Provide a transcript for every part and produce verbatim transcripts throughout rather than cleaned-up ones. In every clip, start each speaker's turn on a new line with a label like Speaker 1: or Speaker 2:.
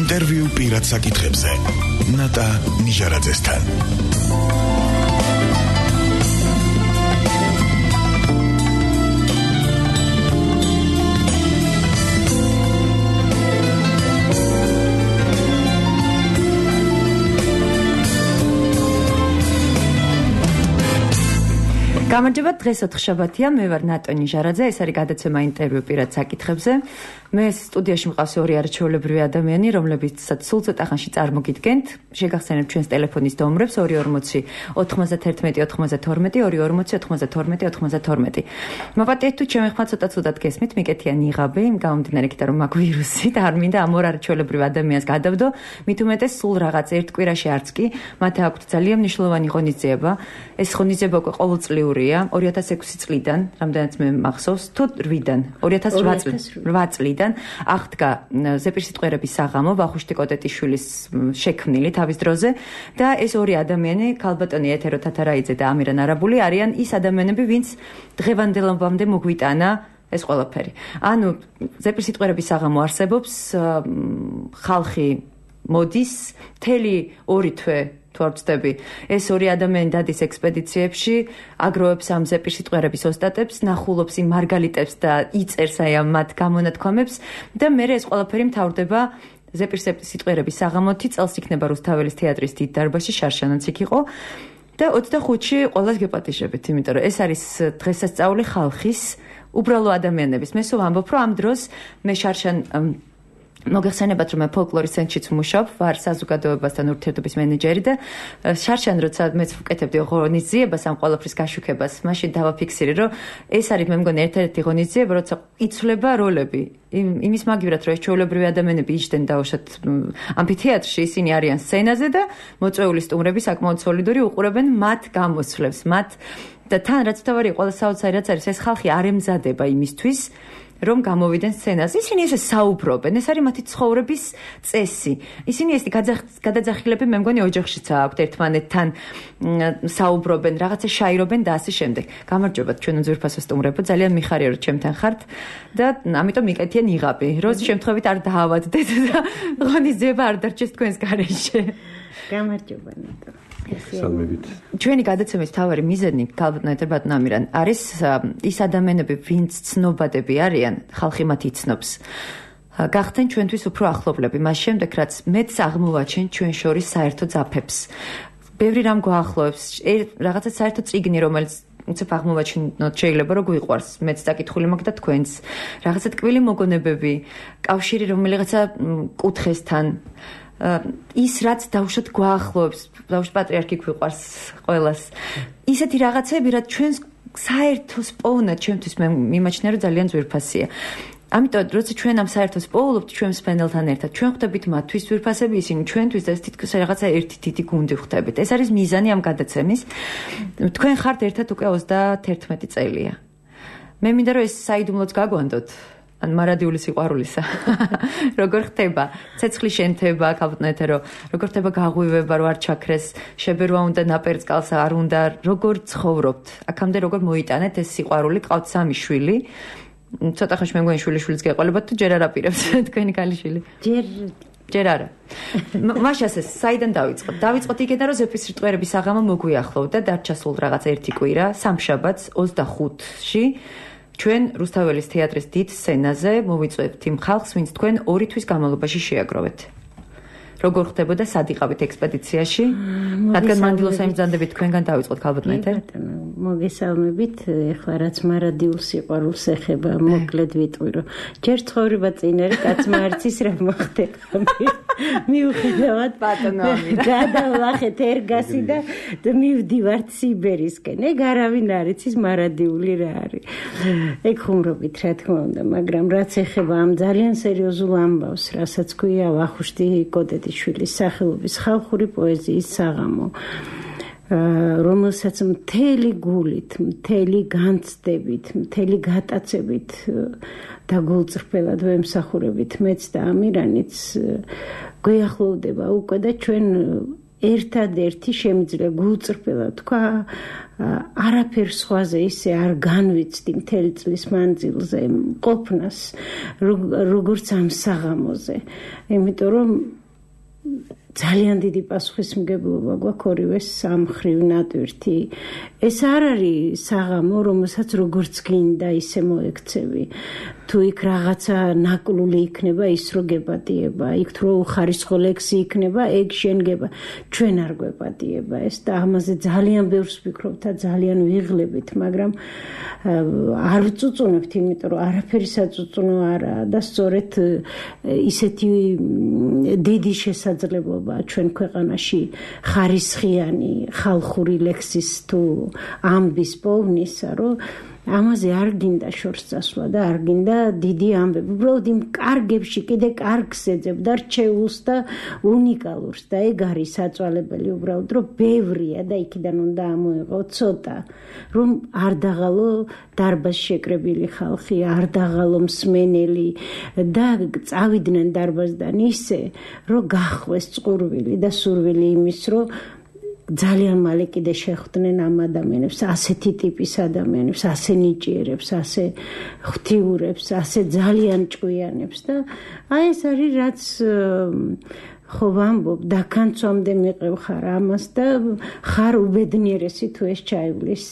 Speaker 1: ინტერვიუ პირად საკითხებზე. ნატა ნიჟარაძესთან.
Speaker 2: გამარჯობა, დღეს ოთხშაბათია, მე ვარ ნატა ნიჟარაძე, ეს არის გადაცემა ინტერვიუ პირად საკითხებზე. მე სტუდიაში მყავს ორი არაჩვეულებრივი ადამიანი, რომლებიცაც სულ ცოტა ხანში წარმოგიდგენთ. შეგახსენებთ ჩვენს ტელეფონის ნომრებს ორი ორმოცი ოთხმოცდათერთმეტი ოცმოცდათორმეტი, ორი ორმოცი ოთხმოცდათორმეტი ოცმოცდათორმეტი. მოვატიეთ თუ ჩემი ხმა ცოტა ცუდად გესმით, მიკეთია ნიღაბი, იმ გამომდინარე იქიდან რომ მაგ ვირუსი და არ მინდა ამ ორ არაჩვეულებრივ ადამიანს გადავდო, მით უმეტეს სულ რაღაც ერთ კვირაში არც კი, მათ აქვთ ძალიან მნიშვნელოვანი ღონისძიება. ეს ღონისძიება უკვე ყოველწლიურია, ორი ათას ექვსი წლიდან, რამდენიც მე მახსოვს, თუ რვიდან, ორი ათას რვა წლიდან აღდგა ზეპირსიტყვიერების საღამო ვახუშტი კოტეტიშვილის შექმნილი თავის დროზე და ეს ორი ადამიანი, ქალბატონი ეთერო თათარაიძე და ამირან არაბული არიან ის ადამიანები, ვინც დღევანდელობამდე მოგვიტანა ეს ყველაფერი. ანუ ზეპირსიტყვიერების საღამო არსებობს, ხალხი მოდის, მთელი ორი თვე თუ არ ვცდები, ეს ორი ადამიანი დადის ექსპედიციებში, აგროვებს ამ ზეპირსიტყვიერების ოსტატებს, ნახულობს იმ მარგალიტებს და იწერს აი ამ მათ გამონათქვამებს და მე ეს ყველაფერი მთავრდება ზეპირსიტყვიერების საღამოთი, წელს იქნება რუსთაველის თეატრის დიდ დარბაზში, შარშანაც იქ იყო და ოცდახუთში ყველას გეპატიჟებით, იმიტომ რომ ეს არის დღესასწაული ხალხის, უბრალო ადამიანების. მე სულ ვამბობ, რომ ამ დროს მე შარშან მოგეხსენებათ, რომ მე ფოლკლორის ცენტრშიც ვმუშაობ, ვარ საზოგადოებასთან ურთიერთობის მენეჯერი და შარშან როცა მეც ვკეთებდი ღონისძიებას ამ ყველაფრის გაშუქებას, მაშინ დავაფიქსირე, რომ ეს არის მე მგონი ერთ-ერთი ღონისძიება, როცა იცვლება როლები. იმის მაგივრად, რომ ეს ჩვეულებრივი ადამიანები იჯდნენ დაუშვათ ამფითეატრში, ისინი არიან სცენაზე და მოწვეული სტუმრები საკმაოდ სოლიდური უყურებენ მათ გამოსვლებს, მათ და თან რაც თავარი ყველა საოცარი რაც არის, ეს ხალხი არ ემზადება იმისთვის, რომ გამოვიდნენ სცენაზე. ისინი ესე საუბრობენ, ეს არის მათი ცხოვრების წესი. ისინი ეს გადაძახილები მე მგონი ოჯახშიც აქვთ, ერთმანეთთან საუბრობენ, რაღაცა შაირობენ და ასე შემდეგ. გამარჯობათ ჩვენ უძვირფასო სტუმრებო, ძალიან მიხარია რომ ჩემთან ხართ და ამიტომ მიკეთია ნიღაბი, რომ შემთხვევით არ დაავადდეთ და ღონისძიება არ დარჩეს თქვენს გარეშე.
Speaker 3: გამარჯობა ნატა.
Speaker 4: სალმებით.
Speaker 2: ჩვენი გადაცემის მთავარი მიზანი, ქალბატონი ბატონ ამირან, არის ის ადამიანები, ვინც ცნობადები არიან, ხალხი მათ იცნობს. გახდნენ ჩვენთვის უფრო ახლობლები, მას შემდეგ რაც მეც აღმოვაჩენ ჩვენ შორის საერთო ძაფებს. ბევრი რამ გვაახლოვებს, რაღაცა საერთო წიგნი, რომელიც უცებ აღმოვაჩინოთ შეიძლება რომ გვიყვარს, მეც დაკითხული მაქვს და თქვენც. რაღაცა ტკბილი მოგონებები, კავშირი რომელიღაცა კუთხესთან ის რაც დავუშვათ გვაახლოვებს, დავუშვათ პატრიარქი გვიყვარს ყველას. ისეთი რაღაცები, რაც ჩვენს საერთოს პოვნად ჩემთვის მე მიმაჩნია რომ ძალიან ძვირფასია. ამიტომ როცა ჩვენ ამ საერთოს პოულობთ ჩვენ მსმენელთან ერთად, ჩვენ ხვდებით მათთვის ძვირფასები, ისინი ჩვენთვის და ეს თითქოს რაღაცა ერთი დიდი გუნდი ხვდებით. ეს არის მიზანი ამ გადაცემის. თქვენ ხართ ერთად უკვე ოცდათერთმეტი წელია. მე მინდა რომ ეს საიდუმლოც გაგვანდოთ. ან მარადიული სიყვარულისა. როგორ ხდება ცეცხლის შენთება, ქალბატონეთე რომ როგორ ხდება გაღვივება, რომ არ ჩაქრეს, შებერვა უნდა ნაპერწკალს არ უნდა, როგორ ცხოვრობთ. აქამდე როგორ მოიტანეთ ეს სიყვარული, ყავთ სამი შვილი. ცოტა ხანში მე მგონი შვილიშვილიც გეყოლებათ თუ ჯერ არ აპირებთ თქვენი ქალიშვილი?
Speaker 3: ჯერ
Speaker 2: ჯერ არა. მაშას ეს საიდან დავიწყოთ? დავიწყოთ იქიდან რომ ზეპირსიტყვიერების საღამო მოგვიახლოვდა, დარჩა სულ რაღაც ერთი კვირა, სამშაბათს ოცდახუთში ჩვენ რუსთაველის თეატრის დიდ სცენაზე მოვიწვევთ იმ ხალხს, ვინც თქვენ ორი თვის განმავლობაში შეაგროვეთ. როგორ ხდებოდა სად იყავით ექსპედიციაში? რადგან მანდილოს ემზადებით თქვენგან დავიწყოთ ქალბატონეთე?
Speaker 3: მოგესალმებით, ეხლა რაც მარადიულ სიყვარულს ეხება, მოკლედ ვიტყვი, რომ ჯერ ცხოვრება წინ არის, კაცმა არც ის რა მოხდება. მიუხედავად
Speaker 2: ბატონო ამირა.
Speaker 3: გადავლახეთ ერგასი და მივდივართ სიბერისკენ. ეგ არავინ არ იცის მარადიული რა არის. ეგ ხუმრობით რა თქმა უნდა, მაგრამ რაც ეხება ამ ძალიან სერიოზულ ამბავს, რასაც ქვია ვახუშტი კოტეტიშვილის სახელობის ხალხური პოეზიის საღამო, რომელსაც მთელი გულით, მთელი განცდებით, მთელი გატაცებით და გულწრფელად ვემსახურებით მეც და ამირანიც გვიახლოვდება უკვე და ჩვენ ერთადერთი შემიძლია გულწრფელად თქვა არაფერ სხვაზე ისე არ განვიცდი მთელი წლის მანძილზე ყოფნას როგორც ამ საღამოზე იმიტომ რომ ძალიან დიდი პასუხისმგებლობა გვაქვს ორივე სამმხრივ ნატვირთი ეს არ არის საღამო რომელსაც როგორც გინდა ისე მოექცევი თუ იქ რაღაცა ნაკლული იქნება ის რო გეპატიება იქ თუ უხარისხო ლექსი იქნება ეგ შენ გება ჩვენ არ გვეპატიება ეს და ამაზე ძალიან ბევრს ვფიქრობთ და ძალიან ვიღლებით მაგრამ არ ვწუწუნებთ იმიტომ რომ არაფერი საწუწუნო არაა და სწორედ ისეთი დიდი შესაძლებლობა ჩვენ ქვეყანაში ხარისხიანი ხალხური ლექსის თუ ამბის პოვნისა რომ ამაზე არ გინდა შორს წასვლა და არ გინდა დიდი ამბები. უბრალოდ იმ კარგებში კიდე კარგს ეძებ და რჩეულს და უნიკალურს და ეგ არის საწვალებელი უბრალოდ რომ ბევრია და იქიდან უნდა ამოიღო ცოტა რომ არ დაღალო დარბაზ შეკრებილი ხალხი, არ დაღალო მსმენელი და წავიდნენ დარბაზიდან ისე რომ გახვეს წყურვილი და სურვილი იმის რომ ძალიან მალე კიდე შეხვდნენ ამ ადამიანებს, ასეთი ტიპის ადამიანებს, ასე ნიჭიერებს, ასე ღვთიურებს, ასე ძალიან ჭკვიანებს და აი ეს არის რაც ხო ვამბობ, დაქანცვამდე მიყევ ხარ ამას და ხარ უბედნიერესი თუ ეს ჩაივლის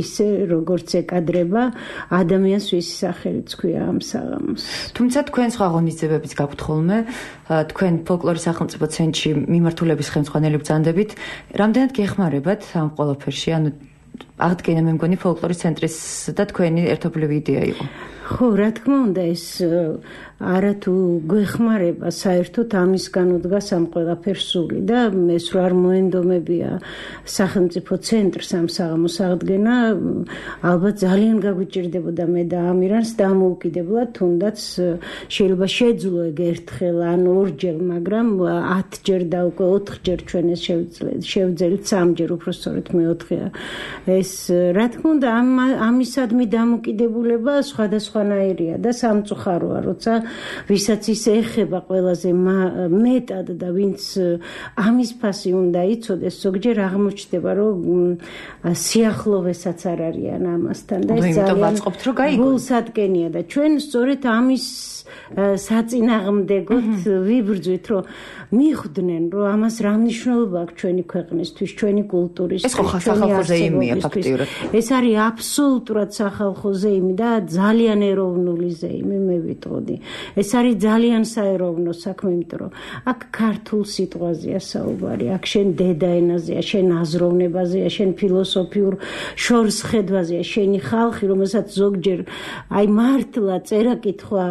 Speaker 3: ისე როგორც ეკადრება ადამიანს ვისი სახელიც ქვია ამ საღამოს.
Speaker 2: თუმცა თქვენ სხვა ღონისძიებებიც გაქვთ ხოლმე, თქვენ ფოლკლორის სახელმწიფო ცენტრში მიმართულების ხელმძღვანელი ბრძანდებით, რამდენად გეხმარებათ ამ ყველაფერში, ანუ აღდგენა მე მგონი ფოლკლორის ცენტრის და თქვენი ერთობლივი იდეა იყო.
Speaker 3: ხო, რა თქმა უნდა ეს არა თუ გვეხმარება საერთოდ ამისგან უდგას ამ ყველაფერს სული და ეს რო არ მოენდომებია სახელმწიფო ცენტრს ამ საღამოს აღდგენა ალბათ ძალიან გაგვიჭირდებოდა მე და ამირანს დამოუკიდებლად თუნდაც შეიძლება შეძლო ეგ ერთხელ ან ორჯერ მაგრამ ათჯერ და უკვე ოთხჯერ ჩვენ ეს შევძელით სამჯერ უბრალოდ მეოთხეა ეს რა თქმა უნდა ამისადმი დამოუკიდებულება სხვადასხვანაირია და სამწუხაროა როცა ვისაც ის ეხება ყველაზე მეტად და ვინც ამის ფასი უნდა იცოდეს ზოგჯერ აღმოჩნდება რომ სიახლოვესაც არ არიან ამასთან და ეს ძალიან გულსადგენია და ჩვენ სწორედ ამის საწინააღმდეგოდ ვიბრძვით რომ მიხვდნენ რომ ამას რა მნიშვნელობა აქვს ჩვენი ქვეყნისთვის, ჩვენი კულტურის,
Speaker 2: ეს ხო სახალხო ზეიმია ფაქტიურად.
Speaker 3: ეს არის აბსოლუტურად სახალხო ზეიმი და ძალიან ეროვნული ზეიმი მე ვიტყოდი. ეს არის ძალიან საეროვნო საქმე, იმიტომ რომ აქ ქართულ სიტყვაზეა საუბარი, აქ შენ დედაენაზეა, შენ აზროვნებაზეა, შენ ფილოსოფიურ შორსხედვაზეა, შენი ხალხი, რომელსაც ზოგჯერ აი მართლა წერა-კითხვა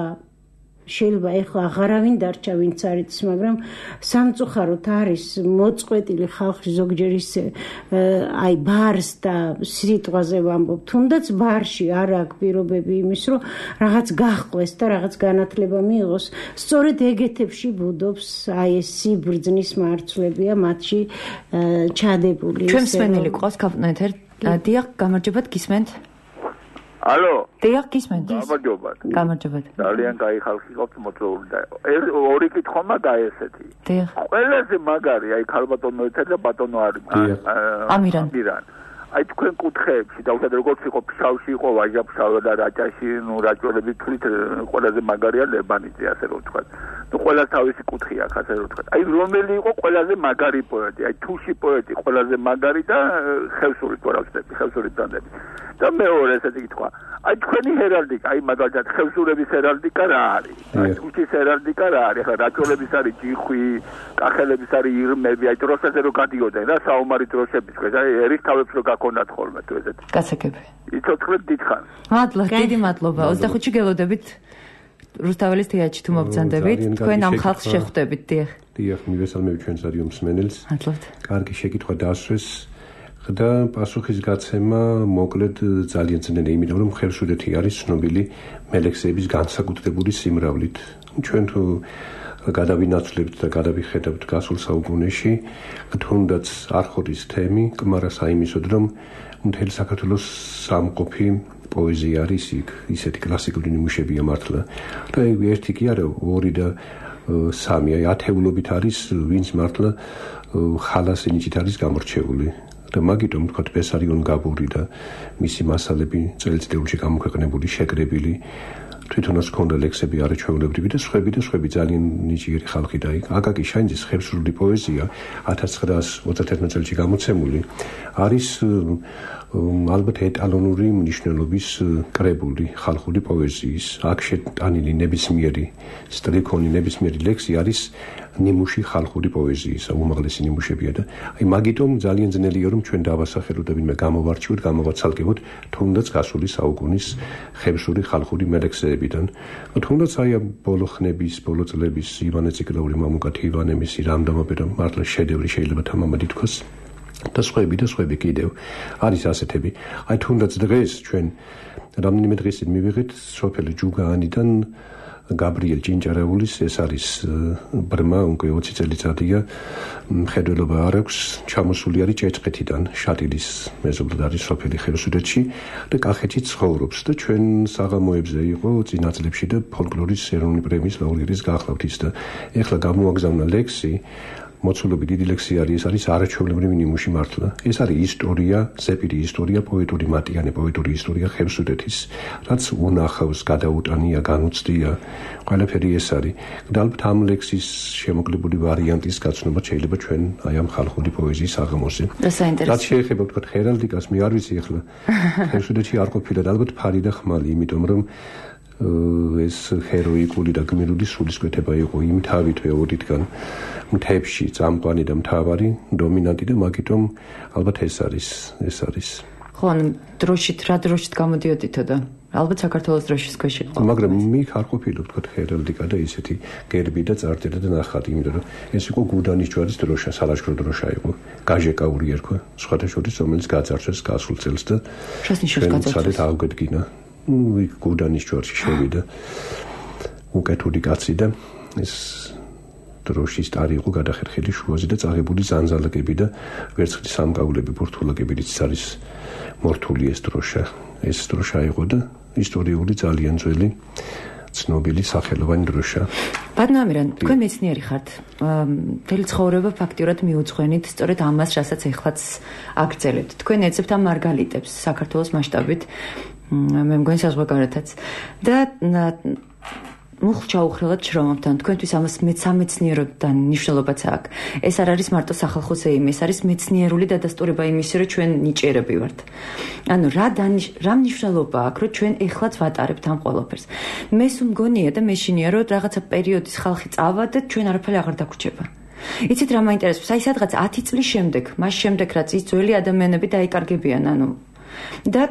Speaker 3: შეიძლება ეხლა აღარავინ დარჩა ვინც არის, მაგრამ სამწუხაროდ არის მოწყვეტილი ხალხი ზოგჯერ ისე აი ბარს და სიტყვაზე ვამბობ, თუნდაც ბარში არ აქვს პირობები იმის, რომ რაღაც გაჰყვეს და რაღაც განათლება მიიღოს. სწორედ ეგეთებში ბუდობს აი ეს სიბრძნის მარცვლებია მათში ჩადებული.
Speaker 2: ჩვენ მსმენელი ყავს კაპიტანეთერ. დიახ, გამარჯობათ, გისმენთ?
Speaker 4: ალო.
Speaker 2: დიახ, გისმენთ?
Speaker 4: გამარჯობათ.
Speaker 2: გამარჯობათ.
Speaker 4: ძალიან კაი ხალხი ყავთ მოწვეული და ორი კითხვა მაგა ესეთი.
Speaker 2: დიახ.
Speaker 4: ყველაზე მაგარი აი ქალბატონო ეთერ და ბატონო არის.
Speaker 2: ამირან.
Speaker 4: ამირან. აი თქვენ კუთხეებში და უბრალოდ როგორც იყო ფშავში იყო ვაჟა-ფშავა და რაჭაში, ნუ რაჭოლები თვლით ყველაზე მაგარია ლებანიძე ასე რომ ვთქვა. ნუ ყველას თავისი კუთხე აქვს ასე რომ ვთქვა. აი რომელი იყო ყველაზე მაგარი პოეტი? აი თუში პოეტი ყველაზე მაგარი და ხევსური პოეტი, ხევსური ბრძანდები. და მეორე ესეთი კითხვა. აი თქვენი ჰერალდიკა, აი მაგალითად ხევსურების ჰერალდიკა რა არის? აი თუშის ჰერალდიკა რა არის? ახლა რაჭოლების არის ჯიხვი, კახელების არის ირმები, აი დროშაზე რო გადიოდნენ რა საომარი დროშების ქვეშ, აი ერისთავებს რო გაქონდათ ხოლმე თუ ესეთი.
Speaker 2: გასაგები.
Speaker 4: იცოცხლეთ დიდხანს.
Speaker 2: მადლობა, დიდი მადლობა. ოცდახუთში გელოდებით რუსთაველის თეატრში თუ მობრძანდებით, თქვენ ამ ხალხს შეხვდებით, დიახ.
Speaker 5: დიახ, მივესალმები ჩვენს რადიო მსმენელს.
Speaker 2: მადლობთ.
Speaker 5: კარგი შეკითხვა დასვეს. და პასუხის გაცემა მოკლედ ძალიან ძნელია, იმიტომ რომ ხევსურეთი არის ცნობილი მელექსების განსაკუთრებული სიმრავლით. ჩვენ თუ გადავინაცვლებთ და გადავიხედავთ გასულ საუკუნეში, თუნდაც არხოდის თემი კმარა საიმისოდ, რომ მთელი საქართველოს სამყოფი პოეზია არის იქ, ისეთი კლასიკური ნიმუშებია მართლა. და ერთი კი არა, ორი და სამი, აი ათეულობით არის ვინც მართლა ხალას ენიჭით არის გამორჩეული. და მაგიტომ თქვათ ბესარიონ გაბური და მისი მასალები წელიწადში გამოქვეყნებული, შეკრებილი, თვითონაც ქონდა ლექსები არაჩვეულებრივი და სხვები და სხვები ძალიან ნიჭიერი ხალხი და აკაკი შანიძის ხევსურული პოეზია ათას ცხრაას ოცდაათი წელს გამოცემული არის ალბათ ეტალონური მნიშვნელობის კრებული ხალხური პოეზიის. აქ შეტანილი ნებისმიერი სტრიქონი, ნებისმიერი ლექსი არის ნიმუში ხალხური პოეზიისა, უმაღლესი ნიმუშებია და აი მაგიტომ ძალიან ძნელია რომ ჩვენ დავასახელოთ და ვინმე გამოვარჩიოთ, გამოვაცალკევოთ თუნდაც გასული საუკუნის ხევსური ხალხური მელექსეებიდან. თუნდაც აი ბოლო ხნების, ბოლო წლების ივანე ციკლაური, მამუკათი ივანემისი რამდამობე რომ მართლა შედევრი შეიძლება თამამად ითქვას. და სხვები და სხვები კიდევ არის ასეთები. აი თუნდაც დღეს ჩვენ რამდენიმე დღის წინ მივიღეთ სოფელი ჯუგაანიდან გაბრიელ ჭინჭარაულის ეს არის ბრმა უკვე ოცი წელიწადია მხედველობა არ აქვს ჩამოსული არის ჭეჭყეთიდან შატილის მეზობლად არის სოფელი ხევსურეთში და კახეთში ცხოვრობს და ჩვენ საღამოებზე იყო წინა წლებში და ფოლკლორის ეროვნული პრემიის ლაურეატის გახლავთ ის და ეხლა გამოაგზავნა ლექსი მოცულობი დიდი ლექსი არის ეს არის არაჩვეულებრივი ნიმუში მართლა ეს არის ისტორია ზეპირი ისტორია პოეტური მატიანე პოეტური ისტორია ხევსურეთის რაც უნახავს გადაუტანია განუცდია ყველაფერი ეს არის და ალბათ ამ ლექსის შემოკლებული ვარიანტის გაცნობა შეიძლება ჩვენ აი ამ ხალხური პოეზიის აღამოზე რაც შეეხება თქვა ჰერალდიკას მე არ ვიცი ახლა ხევსურეთში არ ყოფილა და ალბათ ფარი და ხმალი იმიტომ რომ ეს ჰეროიკული და გმირული სულისკვეთება იყო იმ თავით ვეოდითგან მთებში წამყვანი და მთავარი დომინანტი და მაგიტომ ალბათ ეს არის ეს არის
Speaker 2: ხო ან დროშით რა დროშით გამოდიოდითო და ალბათ საქართველოს დროშის ქვეშ იყო
Speaker 5: მაგრამ მიქ არ ყოფილა თქვა ჰერალდიკა და ისეთი გერბი და წარწერა და ნახატი იმიტომ რომ ეს იყო გუდანის ჯვარის დროშა სალაშქრო დროშა იყო გაჟეკაური ერქვა სხვათა შორის რომელიც გაძარცვეს გასულ წელს და
Speaker 2: შას ნიშნავს გაძარცვეს
Speaker 5: აღგვედგინა ну и გუდანის ჯვარში შევიდა უკეთური კაცი და ეს დროშის ტარი იყო გადახერხილი შუაზე და წაღებული ზანზალაკები და ვერცხლის სამკაულები ბურთულაკებიც არის მორთული ეს დროშა ეს დროშა იყო და ისტორიული ძალიან ძველი ცნობილი სახელოვანი დროშა
Speaker 2: ბატონო ამირან თქვენ მეცნიერი ხართ მთელი ცხოვრება ფაქტიურად მიუძღვენით სწორედ ამას რასაც ეხლაც აგრძელებთ თქვენ ეძებთ ამ მარგალიტებს საქართველოს მასშტაბით მე მგონი საზღვარგარეთაც და მუხლჩაუხრელად შრომობთან თქვენთვის ამას მეცამეცნიეროდან მნიშვნელობაც აქვს ეს არ არის მარტო სახალხო ზეიმი ეს არის მეცნიერული დადასტურება იმისი რომ ჩვენ ნიჭიერები ვართ ანუ რა რა მნიშვნელობა აქვს რომ ჩვენ ეხლაც ვატარებთ ამ ყველაფერს მე სულ მგონია და მეშინია რომ რაღაცა პერიოდის ხალხი წავა და ჩვენ არაფერი აღარ დაგვრჩება იცით რა მაინტერესებს აი სადღაც ათი წლის შემდეგ მას შემდეგ რაც ის ძველი ადამიანები დაიკარგებიან ანუ და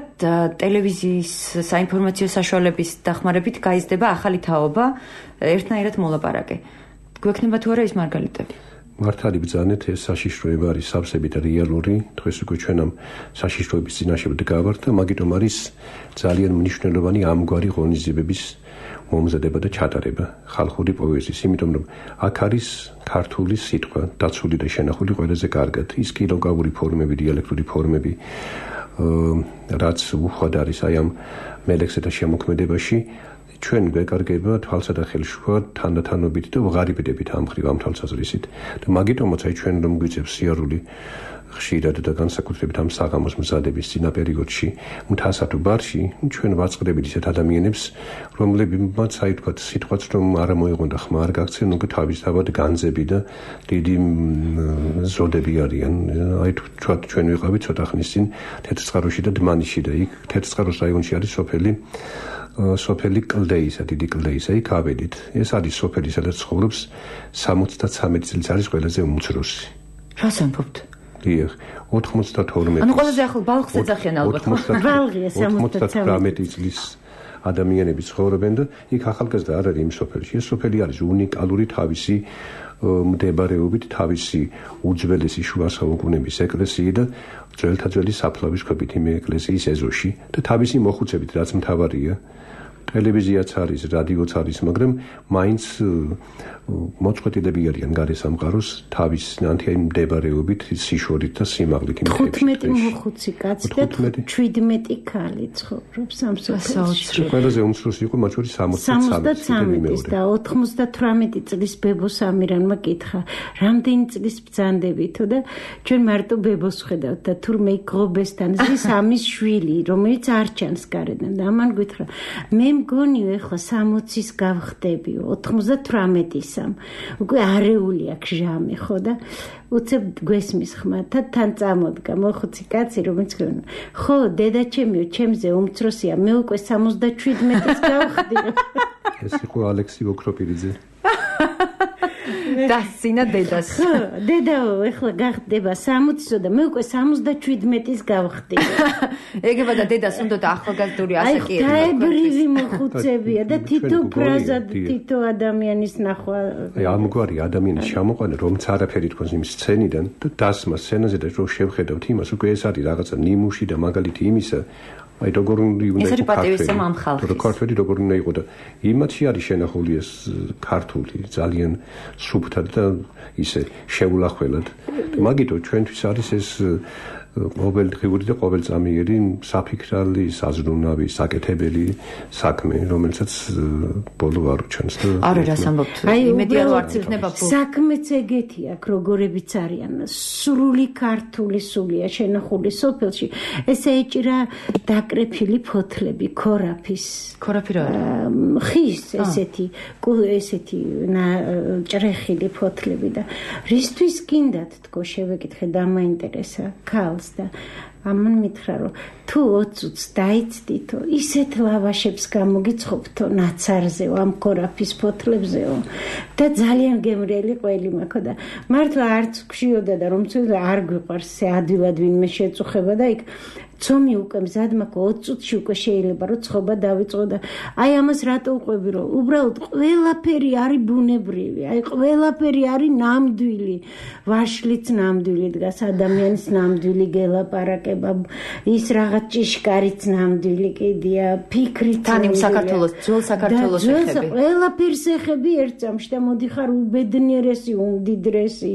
Speaker 2: ტელევიზიის საინფორმაციო საშუალების დახმარებით გაიზრდება ახალი თაობა ერთნაირად მოლაპარაკე გვექნება თუ არა ის მარგალიტები
Speaker 5: მართალი ბრძანეთ ეს საშიშროება არის სავსებით რეალური დღეს უკვე ჩვენ ამ საშიშროების წინაშე ვდგავართ და მაგიტომ არის ძალიან მნიშვნელოვანი ამგვარი ღონისძიებების მომზადება და ჩატარება ხალხური პოეზიის იმიტომ რომ აქ არის ქართული სიტყვა დაცული და შენახული ყველაზე კარგად ის კილოგრამური ფორმები დიალექტური ფორმები რაც უხვად არის აი ამ მელექსეთა შემოქმედებაში ჩვენ გვეკარგება თვალსა და ხელშუა თანდათანობით და ვღარიბდებით ამ ხრივ ამ თვალსაზრისით და მაგიტომაც აი ჩვენ რომ გვიწევს სიარული ხშირად და განსაკუთრებით ამ საღამოს მზადების წინა პერიოდში მთასა თუ ბარში ჩვენ ვაწყდებით ისეთ ადამიანებს რომლებმაც აი თქვათ სიტყვაც რომ არ მოიღონდა ხმა არ გაქცენ უკვე თავისთავად განძები და დიდი ზოდები არიან აი თქვათ ჩვენ ვიყავით ცოტა ხნის წინ თეთრწყაროში და დმანიში და იქ თეთრწყაროს რაიონში არის სოფელი სოფელი კლდეისა დიდი კლდეისა იქ ავედით ეს არის სოფელი სადაც ცხოვრობს სამოცდათრამეტი წელს არის ყველაზე უმცროსი
Speaker 2: რას ამბობთ
Speaker 5: დიახ ოთხმოცდათორმეტი
Speaker 2: ანუ ყველაზე ახალ ბალხს ეძახიან ალბათ
Speaker 3: ბალღია
Speaker 5: ოცდათრამეტი წლის ადამიანები ცხოვრობენ და იქ ახალგაზრდა არ არის იმ სოფელში ეს სოფელი არის უნიკალური თავისი მდებარეობით თავისი უძველესი შუა საუკუნეების ეკლესიი და ძველთა ძველი საფლავის ქვებით იმ ეკლესიის ეზოში და თავისი მოხუცებით რაც მთავარია ტელევიზიაც არის, რადიოც არის, მაგრამ მაინც მოწყვეტილები არიან გარე სამყაროს თავის ნანთიაი მდებარეობით, სიშორით და სიმაღლით იმ ხებში.
Speaker 3: თხუთმეტი მოხუცი კაცი და შვიდმეტი ქალი ცხოვრობს ამ სოფელში.
Speaker 5: ყველაზე უმცროსი იყო მათ შორის
Speaker 3: სამოცდათრამეტის და ოთხმოცდათვრამეტი წლის ბებოს ამირანმა კითხა, რამდენი წლის ბრძანდებითო და ჩვენ მარტო ბებოს ხედავთ და თურმე გრობესთან ზის ამის შვილი, რომელიც არ ჩანს გარედან და ამან გითხრა, მე მგონიო ეხლა სამოცის გავხდებიო, ოთხმოცდათვრამეტის უკვე არეული აქვს ჟამი ხო და უცებ გვესმის ხმათა თან წამოდგა მოხუცი კაცი რომელიც ხო დედაჩემიო ჩემზე უმცროსია მე უკვე სამოცდაშვიდმეტის გავხდიო
Speaker 5: ეს იყო ალექსი ოქროპირიძე
Speaker 2: და სინა დედას
Speaker 3: ხო დედაო ეხლა გახდება სამოცსო და მე უკვე სამოცდაშვიდმეტის გავხდი
Speaker 2: ეგება და დედას უნდა და ახალგაზრდული ასაკი
Speaker 3: ერთა დაებრივი მოხუცებია და თითო ფრაზა თითო ადამიანის ნახვა
Speaker 5: აი ამგვარი ადამიანის ჩამოყვანა რომც არაფერი თქოს იმ სცენიდან და დასმა სცენაზე და რომ შევხედავთ იმას უკვე ეს არის რაღაცა ნიმუში და მაგალითი იმისა აი როგორ უნდა
Speaker 2: იყო ქართული
Speaker 5: ქართული როგორ უნდა იყო და იმათი არის შენახული ეს ქართული ძალიან სუფთად და ისე შეულახველად მაგიტო ჩვენთვის არის ეს ყოველდღიური და ყოველწამიერი საფიქრალი, საზრუნავი, საკეთებელი საქმე, რომელსაც ბოლო არ უჩანს და
Speaker 2: არა რას ამბობთ, იმედია რომ არც იქნება ბოლო.
Speaker 3: საქმეც ეგეთი აქვს, როგორებიც არიან, სრული ქართული სულია შენახული სოფელში. ესე ეჭირა დაკრეფილი ფოთლები, ქორაფის.
Speaker 2: ქორაფი რა არის?
Speaker 3: ხის ესეთი, ესეთი ჭრეხილი ფოთლები და რისთვის გინდათ თქო შევეკითხე და მაინტერესა ქალს და ამან მითხრა რომ თუ ოც წუთს დაიცდითო ისეთ ლავაშებს გამოგიცხობთო ნაცარზეო ამ ქორაფის ფოთლებზეო და ძალიან გემრიელი ყველი მაქვს და მართლა არც გშიოდა და რომ ცოტა არ გვიყვარს ეს ადვილად ვინმე შეწუხება და იქ ცომი უკვე მზად მაქვს ოც წუთში უკვე შეიძლება რომ ცხობა დავიწყო და აი ამას რატო უყვები რომ უბრალოდ ყველაფერი არის ბუნებრივი აი ყველაფერი არის ნამდვილი ვაშლიც ნამდვილი დგას ადამიანის ნამდვილი გელაპარაკება ის რაღაც ჭიშკარიც ნამდვილი კიდია ფიქრით
Speaker 2: თან იმ საქართველოს ძველ საქართველოს ეხები
Speaker 3: ყველაფერს ეხები ერთ წამში და მოდიხარ უბედნიერესი უმდიდრესი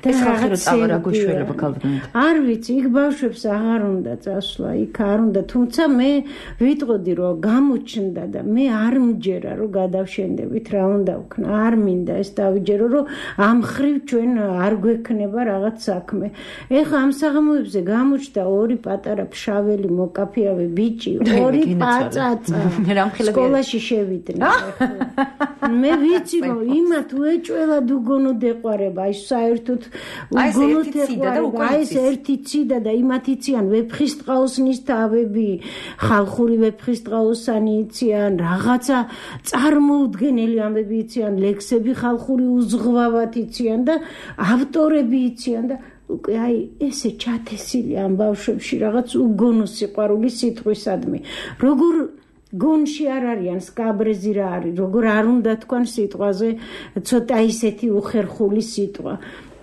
Speaker 3: და
Speaker 2: რაღაც რა გუშველება ქალბნეთ
Speaker 3: არ ვიცი იქ ბავშვებს აღარ უნდა ასვლა იქ არ უნდა თუმცა მე ვიტყოდი რომ გამოჩნდა და მე არ მჯერა რომ გადავშენდებით რა უნდა ვქნა არ მინდა ეს დავიჯერო რომ ამ ხრივ ჩვენ არ გვექნება რაღაც საქმე ეხა ამ საღამოებზე გამოჩნდა ორი პატარა ფშაველი მოკაფიავე ბიჭი ორი პაწაცა სკოლაში შევიდნენ მე ვიცი რომ იმათ უეჭველად უგონოდ ეყარება აი საერთოდ უგონოდ ეყარება აი ეს ერთი ციდა და იმათი ციან ვეფხის ტყაოსნის თავები ხალხური ვეფხის ტყაოსანი იციან რაღაცა წარმოუდგენელი ამბები იციან ლექსები ხალხური უზღვავად იციან და ავტორები იციან და უკვე აი ესე ჩათესილი ამ ბავშვებში რაღაც უგონო სიყვარული სიტყვისადმი როგორ გონში არ არიან სკაბრეზი რა არის როგორ არ უნდა თქვან სიტყვაზე ცოტა ისეთი უხერხული სიტყვა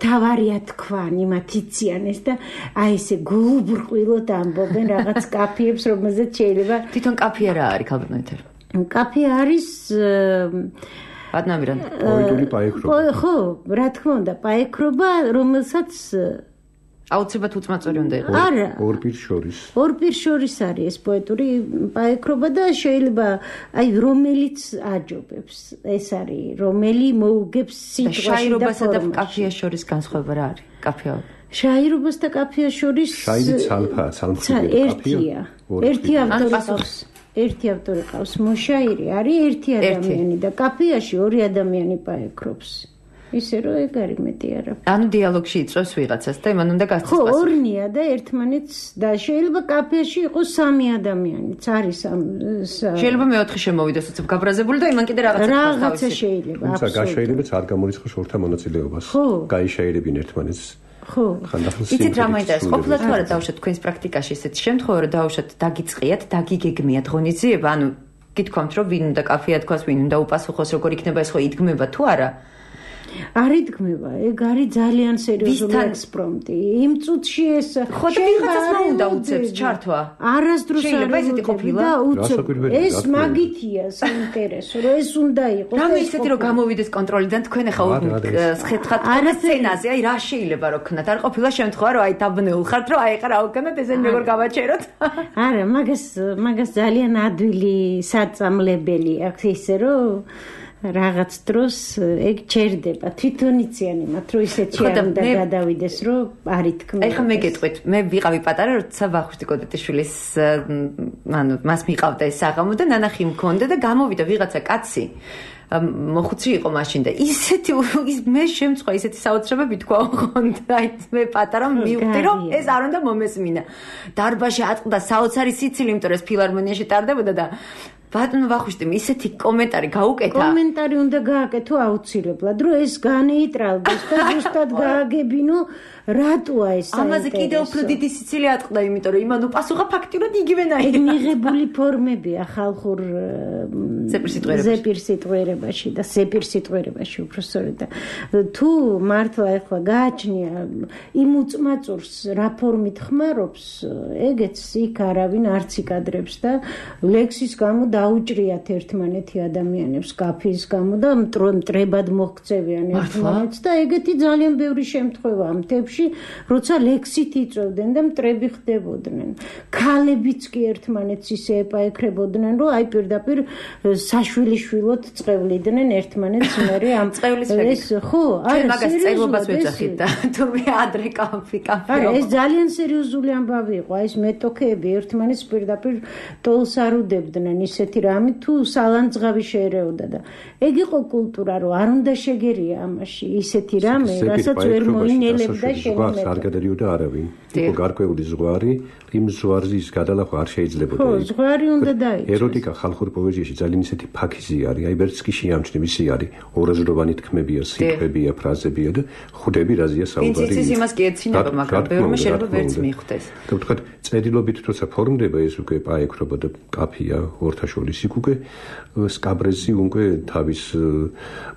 Speaker 3: თავარია თქვან იმათ იციან ეს და აი ესე გულუბრყვილოდ ამბობენ რაღაც კაფეებს რომელზეც შეიძლება
Speaker 2: თვითონ კაფე რა არის ქალბნეთერ
Speaker 3: კაფე არის
Speaker 2: ბადნამირან
Speaker 5: პოეტური პაექრობა
Speaker 3: ხო რა თქმა უნდა პაექრობა რომელსაც
Speaker 2: აუცილებლად უწმაწორი უნდა იყოს.
Speaker 3: არა.
Speaker 5: ორ პირს შორის.
Speaker 3: ორ პირს შორის არის ეს პოეტური პაექრობა და შეიძლება აი რომელიც აჯობებს. ეს არის რომელი მოუგებს სიტყვაში და
Speaker 2: შაირობასა და კაფეას შორის განსხვავება რა არის? კაფეა.
Speaker 3: შაირობას და კაფეას შორის
Speaker 5: შაირი ცალფა, ცალმხრივი
Speaker 3: კაფეა. ერთი ავტორი ყავს. ერთი ავტორი ყავს. მოშაირი არის ერთი ადამიანი და კაფეაში ორი ადამიანი პაექრობს. ისე რომ ეგ არის მეტი არა.
Speaker 2: ანუ დიალოგში იწვევს ვიღაცას და იმან უნდა გასცეს
Speaker 3: პასუხი. ხო, ორნია და ერთმანეთს და შეიძლება კაფეში იყოს სამი ადამიანიც არის ამ
Speaker 2: შეიძლება მეოთხე შემოვიდეს უცებ გაბრაზებული და იმან კიდე რაღაცა
Speaker 3: თქვას თავისი. რაღაცა შეიძლება.
Speaker 5: თუმცა გაშაირებაც არ გამორიცხოს ორთა მონაწილეობას. გაიშაირებინ ერთმანეთს.
Speaker 3: ხო.
Speaker 2: იცით რა მაინტერესებს? ყოფილა თუ არა დავუშვათ თქვენს პრაქტიკაში ესეთი შემთხვევა რომ დავუშვათ დაგიწყიათ, დაგიგეგმიათ ღონისძიება, ანუ გითქვამთ რომ ვინ უნდა კაფეა თქვას, ვინ უნდა უპასუხოს, როგორ იქნება ეს ხო იდგმება თუ არა?
Speaker 3: არ იდგმება, ეგ არის ძალიან სერიოზული ექსპრომტი. იმ წუთში ეს
Speaker 2: ხო და ვიღაცას უნდა უწევს ჩართვა.
Speaker 3: არასდროს არ
Speaker 2: შეიძლება ესეთი ყოფილა.
Speaker 3: ეს მაგითია საინტერესო, რომ ეს უნდა იყოს.
Speaker 2: რამე ისეთი რომ გამოვიდეს კონტროლიდან თქვენ ახლა ხეთხათ სცენაზე, აი რა შეიძლება რომ ქნათ. არ ყოფილა შემთხვევა რომ აი დაბნეულ ხართ რომ აი ხა რა უკანოთ ესენ როგორ გავაჩეროთ.
Speaker 3: არა, მაგას მაგას ძალიან ადვილი საწამლებელი აქვს ისე რომ რაღაც დროს ეგ ჩერდება თვითონ იციან იმათ რომ ისეთ შეამდა გადავიდეს რომ არ ითქმება.
Speaker 2: აი ხა მე გეტყვით, მე ვიყავი პატარა როცა ვახუშტი კოდეტიშვილის ანუ მას მიყავდა ეს საღამო და ნანახი მქონდა და გამოვიდა ვიღაცა კაცი მოხუცი იყო მაშინ და ისეთი მე შემწყვა ისეთი საოცრებები თქვა ხონდა აი მე პატარა მივხვდი რომ ეს არ უნდა მომესმინა. დარბაზში ატყდა საოცარი სიცილი, იმიტომ რომ ეს ფილარმონიაში ტარდებოდა და ბატონო ვახუშტიმ ისეთი კომენტარი გაუკეთა.
Speaker 3: კომენტარი უნდა გააკეთო აუცილებლად, რომ ეს განეიტრალდეს და ზუსტად გააგებინო რატოა ეს საინტერესო.
Speaker 2: ამაზე კიდევ უფრო დიდი სიცილი ატყდა, იმიტომ რომ იმან უპასუხა ფაქტიურად იგივენაირად.
Speaker 3: ეგ მიღებული ფორმებია ხალხურ ზეპირსიტყვიერებაში და ზეპირსიტყვიერებაში უფრო სწორედ და თუ მართლა ახლა გააჩნია იმ უწმაწურს რა ფორმით ხმარობს, ეგეც იქ არავინ არც იკადრებს და ლექსის გამო დაუჭრიათ ერთმანეთი ადამიანებს კაფის გამო და მტრებად მოქცევიან ერთმანეთს და ეგეთი ძალიან ბევრი შემთხვევაა მთებში, როცა ლექსით იწვევდნენ და მტრები ხდებოდნენ. ქალებიც კი ერთმანეთს ისე ეპაექრებოდნენ, რომ აი პირდაპირ საშვილიშვილოდ წყვევლიდნენ ერთმანეთს მერე ამ
Speaker 2: წევლის
Speaker 3: ეს ხო,
Speaker 2: არა, მაგას წელობას ვეძახით და თუ მე ადრე კაფი კაფე.
Speaker 3: არა, ეს ძალიან სერიოზული ამბავი იყო, აი ეს მეტოქეები ერთმანეთს პირდაპირ ტოლს არ უდებდნენ ისეთი რამე თუ სალანძღავი შეერეოდა და ეგ იყო კულტურა, რომ არ უნდა შეგერია ამაში ისეთი რამე, რასაც ვერ მოინელებდა შენიმეტო.
Speaker 5: არ გადადიოდა არავინ. იყო გარკვეული ზღვარი, იმ ზღვარზე ის გადალახვა არ შეიძლებოდა.
Speaker 3: ხო, ზღვარი უნდა დაიწვეს.
Speaker 5: ეროტიკა ხალხურ პოეზიაში ძალიან ისეთი ფაქიზი არის, აი ვერც კი შეამჩნევ ისი არის. ორაზროვანი თქმებია, სიტყვებია, ფრაზებია და ხვდები რაზეა საუბარი.
Speaker 2: ის იმას კი ეცინება, მაგრამ ბევრმა შეიძლება ვერც მიხვდეს.
Speaker 5: და ვთქვათ, წერილობით თორსა ფორმდება ეს უკვე პაექრობა და კაფია ორთაშორის იქ უკვე სკაბრეზი უკვე თავის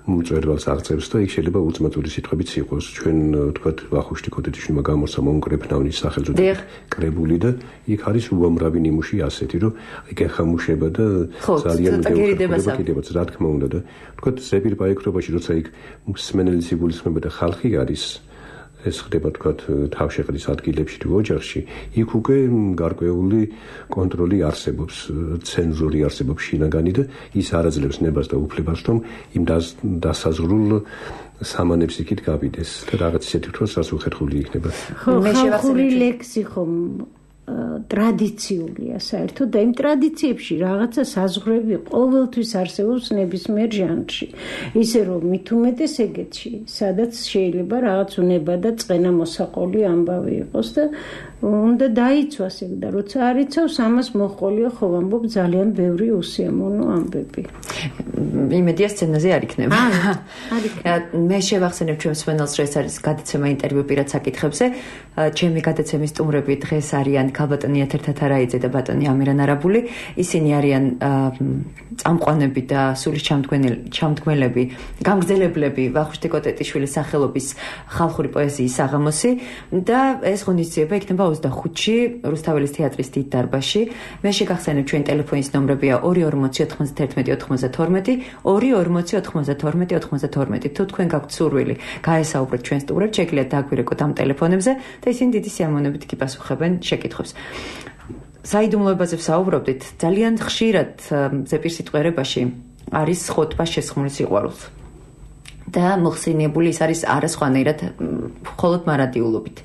Speaker 5: მწვერვალს აღწევს და იქ შეიძლება უწმაწური სიტყვებიც იყოს. ჩვენ ვთქვათ, ვახუშტი კოდეტიშვილმა გამორცა მონკრეფნავნის სახელწოდება კრებული და იქ არის უამრავი ნიმუში ასეთი, რომ იქ ეხამუშება და ძალიან ბევრი კიდევაც რა თქმა უნდა და ვთქვათ, ზეპირ პაექრობაში როცა იქ მსმენელის იგულისხმება და ხალხი არის ეს ხდება თქვათ თავშეყრის ადგილებში თუ ოჯახში, იქ უკვე გარკვეული კონტროლი არსებობს, ცენზური არსებობს შინაგანი და ის არაძლევს ნებას და უფლებას, რომ იმ დასაზღვრულ სამანებს იქით გავიდეს და რაღაც ისეთი თქოს რაც უხერხული იქნება.
Speaker 3: ხო, ხალხური ლექსი ხომ ტრადიციულია საერთოდ და იმ ტრადიციებში რაღაცა საზღვრები ყოველთვის არსებობს ნებისმიერ ჟანრში. ისე რომ მით უმეტეს ეგეთში, სადაც შეიძლება რაღაც უნება და წყენა მოსაყოლი ამბავი იყოს და უნდა დაიცვას ეგ და როცა არ იცავს ამას მოყოლია ხო ამბობ ძალიან ბევრი უსიამოვნო ამბები.
Speaker 2: იმედია სცენაზე არ იქნება.
Speaker 3: არ იქნება.
Speaker 2: მე შევახსენებ ჩვენს მსმენელს, რომ ეს არის გადაცემა ინტერვიუ პირად საკითხებზე. ჩემი გადაცემის სტუმრები დღეს არიან ქალბატონი ეთერთა თარაიძე და ბატონი ამირან არაბული. ისინი არიან წამყვანები და სულის ჩამდგმელები, გამგზელებლები ვახუშტი კოდეტიშვილის სახელობის ხალხური პოეზიის საღამოსი და ეს ღონისძიება იქნება ოცდახუთში რუსთაველის თეატრის დიდ დარბაზში. მე შეგახსენებ ჩვენ ტელეფონის ნომრებია ორი ორმოცი ოთხმოცდაერთმეტი ოთხმოცდათორმეტი, ორი ორმოცი ოთხმოცდათორმეტი ოთხმოცდათორმეტი. თუ თქვენ გაქვთ სურვილი გაესაუბროთ ჩვენ სტუმრებს, შეგიძლიათ დაგვირეკოთ ამ ტელეფონებზე და ისინი დიდი სიამოვნებით გიპასუხებენ შეკითხვებს. საიდუმლოებაზე ვსაუბრობდით, ძალიან ხშირად ზეპირსიტყვიერებაში არის ხოტბა შესხმული სიყვარულს. და მოხსენიებული ის არის არასხვანაირად მხოლოდ მარადიულობით.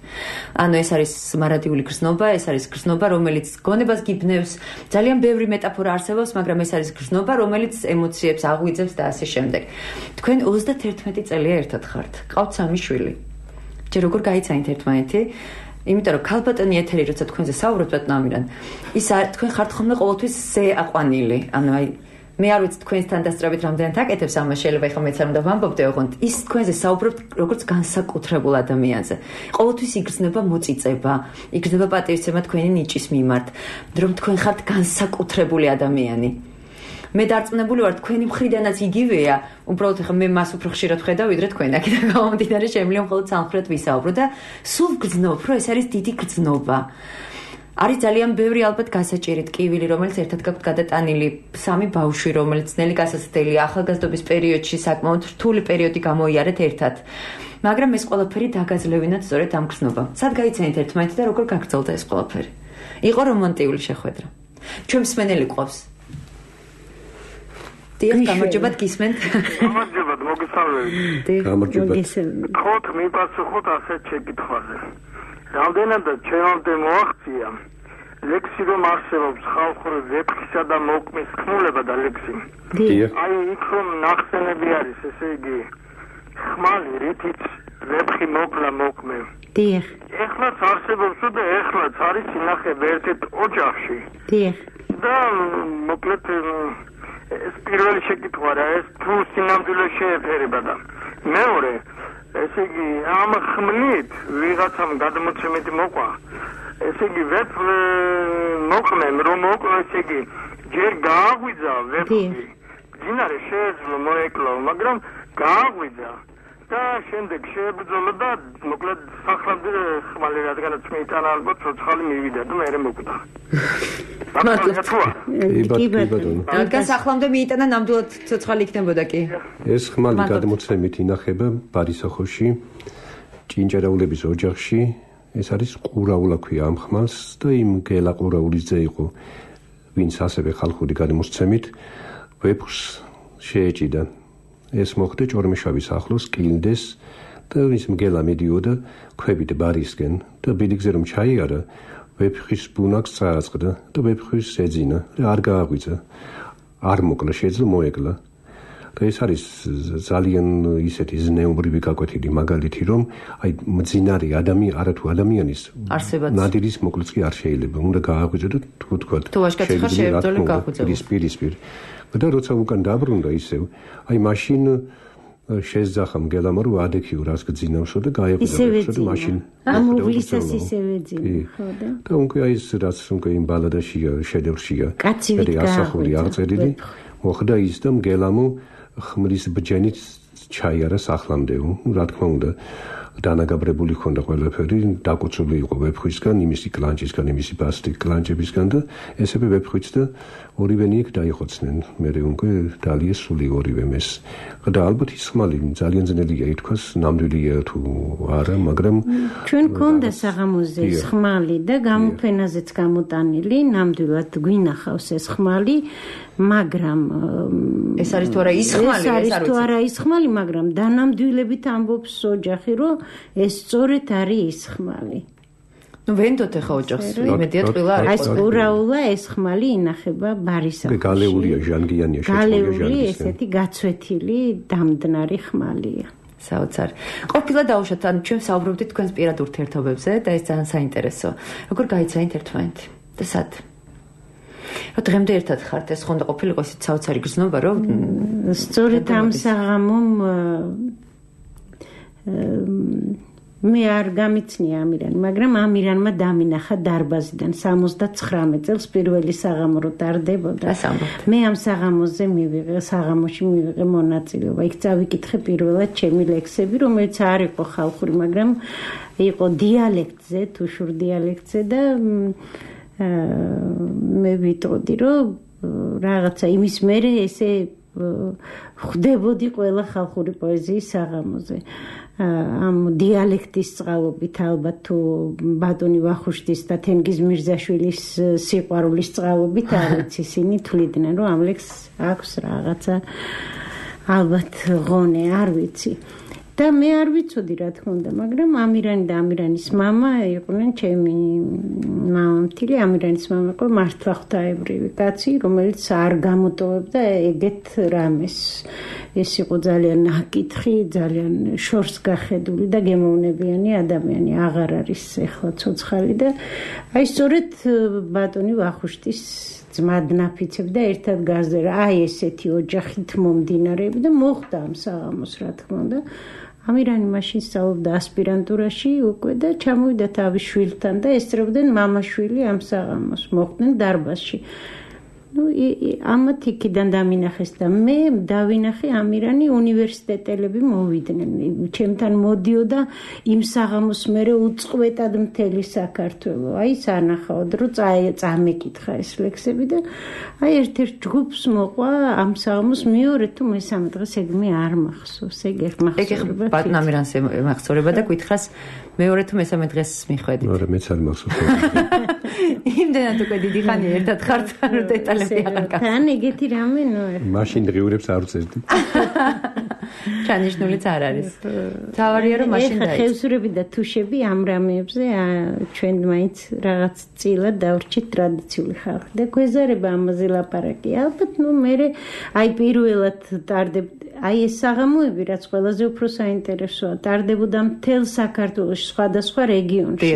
Speaker 2: ანუ ეს არის მარადიული გრძნობა, ეს არის გრძნობა, რომელიც გონებას გიბნევს, ძალიან ბევრი მეტაფორა არსებობს, მაგრამ ეს არის გრძნობა, რომელიც ემოციებს აღვიძებს და ასე შემდეგ. თქვენ ოცდაათერთმეტი წელია ერთად ხართ, ყავთ სამი შვილი. ჯერ როგორ გაიცანით ერთმანეთი? იმიტომ რომ ქალბატონი ეთერი როცა თქვენზე საუბრობთ ბატონ ამირან, ის თქვენ ხართ ხოლმე ყოველთვის ზე აყვანილი, ანუ აი მე არ ვიცი თქვენთან დასწრებით რამდენად აკეთებს ამას, შეიძლება ეხლა მეც არ უნდა ვამბობდე, ოღონდ ის თქვენზე საუბრობთ როგორც განსაკუთრებულ ადამიანზე. ყოველთვის იგრძნება მოწიწება, იგრძნება პატივისცემა თქვენი ნიჭის მიმართ, რომ თქვენ ხართ განსაკუთრებული ადამიანი. მე დარწმუნებული ვარ თქვენი მხრიდანაც იგივეა, უბრალოდ ხა მე მას უფრო ხშირად ვხედავ ვიდრე თქვენ აქედან გამომდინარე შემიძლია მხოლოდ სამხრეთ ვისაუბრო და სულ გრძნობ, რომ ეს არის დიდი გრძნობა. არის ძალიან ბევრი ალბათ გასაჭირი ტკივილი, რომელიც ერთად გაქვთ გადატანილი, სამი ბავშვი, რომელიც ნელი გასაცდელი ახალგაზრდობის პერიოდში საკმაოდ რთული პერიოდი გამოიარეთ ერთად. მაგრამ ეს ყველაფერი დაგაძლევინათ სწორედ ამ გრძნობამ. სად გაიცანით ერთმანეთი და როგორ გაგრძელდა ეს ყველაფერი? იყო რომანტიული შეხვედრა. ჩვენ მსმენელი ყავს. დიახ, გამარჯობათ გისმენთ.
Speaker 6: გამარჯობათ, მოგესალმებით.
Speaker 5: გამარჯობათ.
Speaker 6: ხოთ მიპასუხოთ ასეთ შეკითხვაზე. რამდენადაც ჩემამდე მოაღწია ლექსი რომ არსებობს ხალხური ვეფხისა და მოკმის ხმულება და ლექსი. აი იქ რომ ნახსენები არის, ესე იგი ხმალი რითიც ვეფხი მოკლა მოკმე.
Speaker 3: დიახ.
Speaker 6: ეხლაც არსებობს და ეხლაც არის ინახება ერთ-ერთ ოჯახში.
Speaker 3: დიახ.
Speaker 6: და მოკლედ ეს პირველი შეკითხვა რა, ეს თუ სინამდვილე შეეფერება და მეორე ესე იგი ამ ხმლით ვიღაცამ გადმოცემით მოყვა. ესე იგი ვეფ მოყმემ რომ მოყვა, ესე იგი ჯერ გააღვიძა ვეფი. მდინარე შეეძლო მოეკლო, მაგრამ გააღვიძა და შემდეგ შეებრძოლა და მოკლედ სახლამდე ხმალი რადგანაც მეიტანა ალბათ ცოცხალი მივიდა და მე მოკვდა.
Speaker 2: რადგან სახლამდე მეიტანა ნამდვილად ცოცხალი იქნებოდა კი.
Speaker 5: ეს ხმალი გადმოცემით ინახება ბარისოხოში, ჭინჭარაულების ოჯახში. ეს არის ყურაულა ქვია ამ ხმალს და იმ გელა ყურაულიძე იყო, ვინც ასევე ხალხური გადმოცემით ვეფხს შეეჭიდა. ეს მოხდა ჭორმეშავის ახლოს კილდეს და ის მგელა მიდიოდა ქვებით ბარისკენ და ბილიგზე რომ ჩაიარა ვეფხის ბუნაკს წააწყდა და ვეფხის ეძინა და არ გააღვიძა, არ მოკლა, შეძლო მოეკლა. და ეს არის ძალიან ისეთი ზნეობრივი გაკვეთილი მაგალითი, რომ აი მძინარი ადამიანი, არათუ ადამიანის ნადირის მოკლაც კი არ შეიძლება, უნდა გააღვიძო და თუ თქვა
Speaker 2: თუ ვაშკაცი ხარ შეებრძოლე გააღვიძო.
Speaker 5: პირისპირ. და როცა უკან დაბრუნდა ისევ, აი მაშინ შეძახა მგელამ რომ ადექიო რას გძინავსო და გაეღვიძო და მაშინ
Speaker 3: ამოვლისას ისევე ძინა, ხო და?
Speaker 5: და უკვე აი ეს რაც უკვე იმ ბალადაშია, შედევრშია.
Speaker 3: კაცივით
Speaker 5: ასახული აღწერილი, მოხდა ის და მგელამო ხმლის ბჯენით ჩაიარა სახლამდეო. რა თქმა უნდა, დანაგაბრებული ხონდა ყველაფერი, დაკოცული იყო ვეფხვისგან, იმისი კლანჭისგან, იმისი ბასტი კლანჭებისგან და ესევე ვეფხვიც და ორივენი იქ დაიხოცნენ. მე უკვე დალიეს სული ორივე მეს. და ალბათ ის ხმალი ძალიან ძნელია ითქვას, ნამდვილია თუ არა, მაგრამ
Speaker 3: ჩვენ გქონდა საღამოზე ეს ხმალი და გამოფენაზეც გამოტანილი, ნამდვილად გვინახავს ეს ხმალი, მაგრამ
Speaker 2: ეს არის თუ არა ის ხმალი,
Speaker 3: ეს არის თუ არა ის ხმალი, მაგრამ დანამდვილებით ამბობს ოჯახი, რომ ეს სწორედ არის ის ხმალი.
Speaker 2: ნუ ვენდოთ ახლა ოჯახს, იმედია ტყილა არის.
Speaker 3: აი ყურაულა ეს ხმალი ინახება ბარისახში.
Speaker 5: გალეულია, ჟანგიანია, შეჭრილია ჟანგისგან.
Speaker 3: გალეული ესეთი გაცვეთილი დამდნარი ხმალია.
Speaker 2: საოცარ. ყოფილა დაუშვათ, ანუ ჩვენ საუბრობდით თქვენს პირად ურთიერთობებზე და ეს ძალიან საინტერესო. როგორ გაიცანით ერთმანეთი და სად? რა დღემდე ერთად ხართ, ეს ხონდა ყოფილიყო ისეთ საოცარი გრძნობა, რომ
Speaker 3: სწორედ ამ საღამომ მე არ გამიცნია ამირანი, მაგრამ ამირანმა დამინახა დარბაზიდან სამოცდაცხრამეტ წელს პირველი საღამო რო ტარდებოდა. მე ამ საღამოზე მივიღე, საღამოში მივიღე მონაწილეობა. იქ წავიკითხე პირველად ჩემი ლექსები, რომელიც არ იყო ხალხური, მაგრამ იყო დიალექტზე, თუშურ დიალექტზე და მე ვიტყოდი, რომ რაღაცა იმის მერე ესე ხვდებოდი ყველა ხალხური პოეზიის საღამოზე. ამ დიალექტის წყალობით ალბათ თუ ბატონი ვახუშტის და თენგიზ მირზაშვილის სიყვარულის წყალობით არც ისინი თვლიდნენ, რომ ამ ლექსს აქვს რაღაცა ალბათ ღონე, არ ვიცი. და მე არ ვიცოდი რა თქმა უნდა, მაგრამ ამირანი და ამირანის მამა იყვნენ ჩემი მამამთილი. ამირანის მამა იყო მართლა ღვთაებრივი კაცი, რომელიც არ გამოტოვებდა ეგეთ რამეს. ეს იყო ძალიან აკითხი, ძალიან შორს გახედული და გემოვნებიანი ადამიანი. აღარ არის ეხლა ცოცხალი და აი სწორედ ბატონი ვახუშტის ძმად ნაფიცებდა ერთად გაზერა. აი ესეთი ოჯახით მომდინარეები და მოხდა ამ საღამოს რა თქმა უნდა. ამირანი მაშინ სწავლობდა ასპირანტურაში უკვე და ჩამოვიდა თავის შვილთან და ესწრებდნენ მამა-შვილი ამ საღამოს, მოხდნენ დარბაზში. ну ამათ იქიდან დამინახეს და მე დავინახე ამირანი უნივერსიტეტელები მოვიდნენ ჩემთან მოდიოდა იმ საღამოს მერე უწყვეტად მთელი საქართველო აი სანახაოდ რომ წამეკითხა ეს ლექსები და აი ერთ-ერთ ჯგუფს მოყვა ამ საღამოს მეორე თუ მესამე დღეს ეგ მე არ მახსოვს ეგ ერთ მახსოვდება
Speaker 2: ეგ ბატონ ამირანს მახსოვდება და გითხრას მეორე თუ მესამე დღეს მიხვედით
Speaker 5: არა მეც არ მახსოვს
Speaker 2: იმდენად უკვე დიდი ხანია ერთად ხართ რომ დეტალები აღარ გახსოვს
Speaker 3: თან ეგეთი რამე ნუ
Speaker 5: მაშინ დღიურებს არ ვწერდი
Speaker 2: ჩანიშნულიც არ არის თავარია რომ მაშინ დაიწყო
Speaker 3: ხევსურები და თუშები ამ რამეებზე ჩვენ მაინც რაღაც წილად დავრჩით ტრადიციული ხალხი და გვეზარება ამაზე ლაპარაკი ალბათ ნუ მე აი პირველად ტარდებდა აი ეს საღამოები რაც ყველაზე უფრო საინტერესოა ტარდებოდა მთელ საქართველოში სხვადასხვა რეგიონში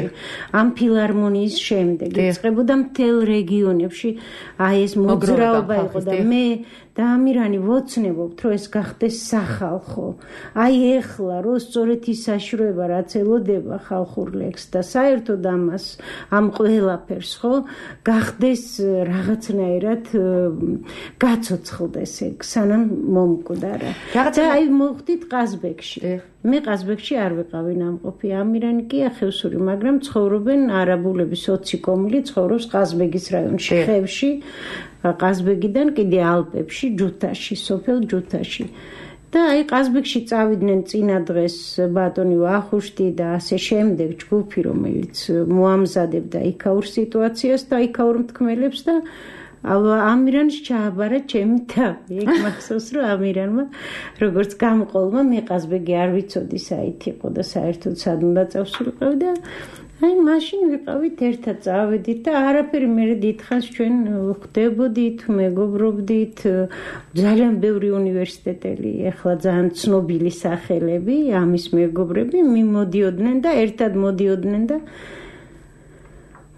Speaker 3: ამ ფილარმონიის შემდეგ იწყებოდა მთელ რეგიონებში აი ეს მოძრაობა იყო და მე და ამირანი ვოცნებობთ რომ ეს გახდეს სახალხო აი ეხლა რომ სწორედ ის საშუალება რაც ელოდება ხალხურ ლექსს და საერთოდ ამას ამ ყველაფერს ხო გახდეს რაღაცნაირად გაცოცხლდეს ეგ სანამ მომკვდარა და აი მოვხდით ყაზბეგში მე ყაზბეგში არ ვიყავი ნამყოფი ამირანი კი ახევსური მაგრამ ცხოვრობენ არაბულები სოციკომილი ცხოვრობს ყაზბეგის რაიონში ხევში ყაზბეგიდან კიდე ალპებში ჯუთაში სოფელ ჯუთაში და აი ყაზბეგში წავიდნენ წინა დღეს ბატონი ვახუშტი და ასე შემდეგ ჯგუფი რომელიც მოამზადებდა იქაურ სიტუაციას და იქაურ მთქმელებს და ამირანს ჩააბარა ჩემი თავი ეგ მახსოვს რომ ამირანმა როგორც გამყოლმა მე ყაზბეგი არ ვიცოდი საით იყო და საერთოდ სად უნდა წავსულიყავი და აი მაშინ ვიყავით ერთად წავედით და არაფერი მე დიდხანს ჩვენ ვხვდებოდით მეგობრობდით ძალიან ბევრი უნივერსიტეტელი ეხლა ძალიან ცნობილი სახელები ამის მეგობრები მიმოდიოდნენ და ერთად მოდიოდნენ და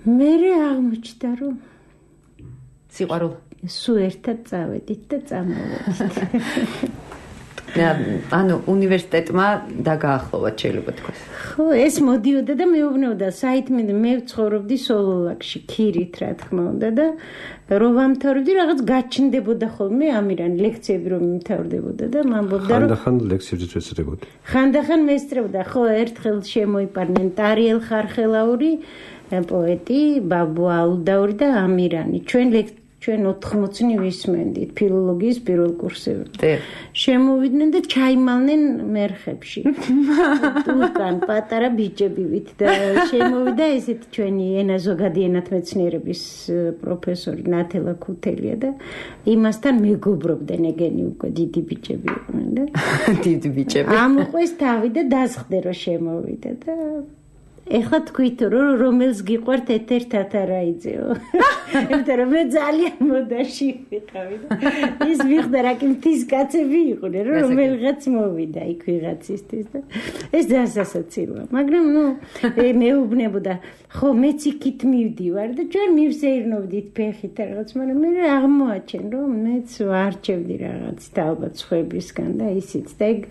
Speaker 3: მე აღმოჩნდა რომ
Speaker 2: სიყვარული
Speaker 3: სულ ერთად წავედით და წამოვედით
Speaker 2: ანუ უნივერსიტეტმა დაგაახლოვათ შეიძლება თქვას.
Speaker 3: ხო, ეს მოდიოდა და მეუბნეოდა საითმე მე ვცხოვრობდი სოლოლაკში, ქირით რა თქმა უნდა და რომ ვამთავრებდი რაღაც გაჩნდებოდა ხოლმე ამირან ლექციები რომ მიმთავრდებოდა და მამბობდა რომ
Speaker 5: ხანდახან ლექციებიც ვეცდებოდი.
Speaker 3: ხანდახან მესწრებოდა, ხო, ერთხელ შემოიპარნენ ტარიელ ხარხელაური პოეტი, ბაბუ ალუდაური და ამირანი. ჩვენ ლექცია ჩვენ ოთხმოცი ვისმენდით ფილოლოგიის პირველ კურსზე. შემოვიდნენ და ჩაიმალნენ მერხებში. უკან პატარა ბიჭებივით და შემოვიდა ესეთი ჩვენი ენა ზოგადი ენათმეცნიერების პროფესორი ნათელა ქუთელია და იმასთან მეგობრობდნენ ეგენი უკვე დიდი ბიჭები იყვნენ და
Speaker 2: დიდი ბიჭები.
Speaker 3: ამოყვეს თავი და დასხდე რომ შემოვიდა და ეხლა თქვით რომ რომელს გიყვართ ეთერ თათარაიძეო. იმიტომ რომ მე ძალიან მოდაში ვიყავი და ის მიხდა რა კი მთის კაცები იყვნენ რომ რომელიღაც მოვიდა იქ ვიღაცისთვის და ეს ძალიან სასაცილოა. მაგრამ ნუ მეუბნებოდა ხო მეც იქით მივდივარ და ჩვენ მივსეირნობდით ფეხით რაღაც მაგრამ მე აღმოაჩენ რომ მეც ვარჩევდი რაღაცით ალბათ სხვებისგან და ისიც და ეგ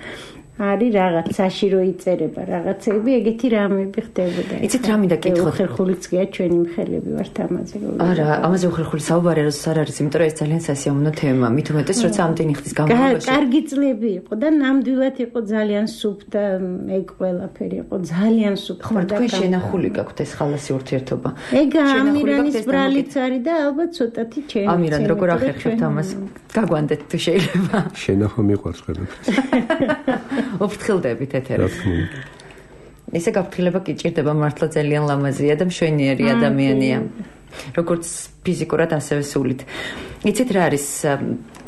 Speaker 3: არის რაღაც საშირო იწერება რაღაცები ეგეთი რამები ხდებოდა.
Speaker 2: იცით რა მინდა კითხოთ?
Speaker 3: უხერხულიც გია ჩვენი მხელები ვართ ამაზე.
Speaker 2: არა, ამაზე უხერხული საუბარი არ არის, იმიტომ რომ ეს ძალიან სასიამოვნო თემა. მით უმეტეს როცა ამდენი ხნის განმავლობაში
Speaker 3: კარგი წლები იყო და ნამდვილად იყო ძალიან სუფთა ეგ ყველაფერი იყო ძალიან სუფთა.
Speaker 2: ხომ თქვენ შენახული გაქვთ ეს ხალასი ურთიერთობა?
Speaker 3: ეგ ამირანის ბრალიც არის და ალბათ ცოტათი ჩემი.
Speaker 2: ამირან როგორ ახერხებთ ამას? გაგვანდეთ თუ შეიძლება.
Speaker 5: შენახვა მიყვარს ყველაფერს.
Speaker 2: ოფრთხილდებით ეთერებს. ესე გაფრთხილება კი ჭირდება მართლა ძალიან ლამაზია და მშვენიერი ადამიანია. როგორც ფიზიკურად ასევე სულით. იცით რა არის?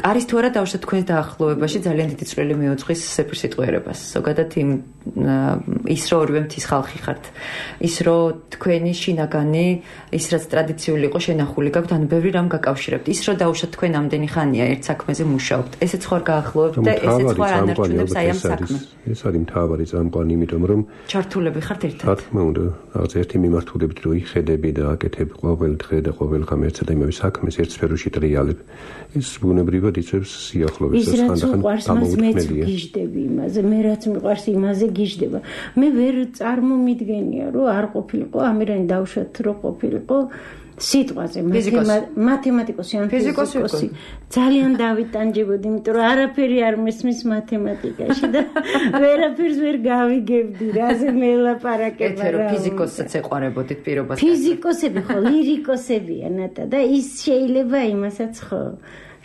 Speaker 2: არის თუ არა დავუშვათ თქვენს დაახლოებაში ძალიან დიდი წვლილი მიუძღვის სეფირსიტყვიერებას. ზოგადად იმ ის რომ ორივე მთის ხალხი ხართ. ის რომ თქვენი შინაგანი ის რაც ტრადიციული იყო შენახული გაქვთ, ანუ ბევრი რამ გაკავშირებთ. ის რომ დავუშვათ თქვენ ამდენი ხანია ერთ საქმეზე მუშაობთ. ესეც ხარ გაახლოვებთ და ესეც ხარ ანარჩუნებს აი ამ საქმეს.
Speaker 5: ეს არის მთავარი წამყვანი, იმიტომ რომ
Speaker 2: ჩართულები ხართ ერთად.
Speaker 5: რა თქმა უნდა, რაღაც ერთი მიმართულებით რო იხედები და აკეთებ ყოველ დღე და ყოველ ხამ ერთსა და იმავე საქმეს ერთ სფეროში ტრიალებ. ეს ბუნებრივად იწევს სიახლოვეს და ხანდახან
Speaker 3: ამოუთმელია. ის რაც მიყვარს მას მეც გიждები იმაზე, მე რაც მიყვარს იმაზე გიждდება. მე ვერ წარმომიდგენია, რომ არ ყოფილიყო, ამირანი დავუშვათ, რომ ყოფილიყო სიტყვაზე მათემატიკოსი ან ფიზიკოსი. ძალიან დავიტანჯებოდი, იმიტომ რომ არაფერი არ მესმის მათემატიკაში და ვერაფერს ვერ გავიგებდი, რაზე მელაპარაკება.
Speaker 2: ეთერო ფიზიკოსაც ეყარებოდით პირობას.
Speaker 3: ფიზიკოსები ხო, ლირიკოსებია ნატა და ის შეიძლება იმასაც ხო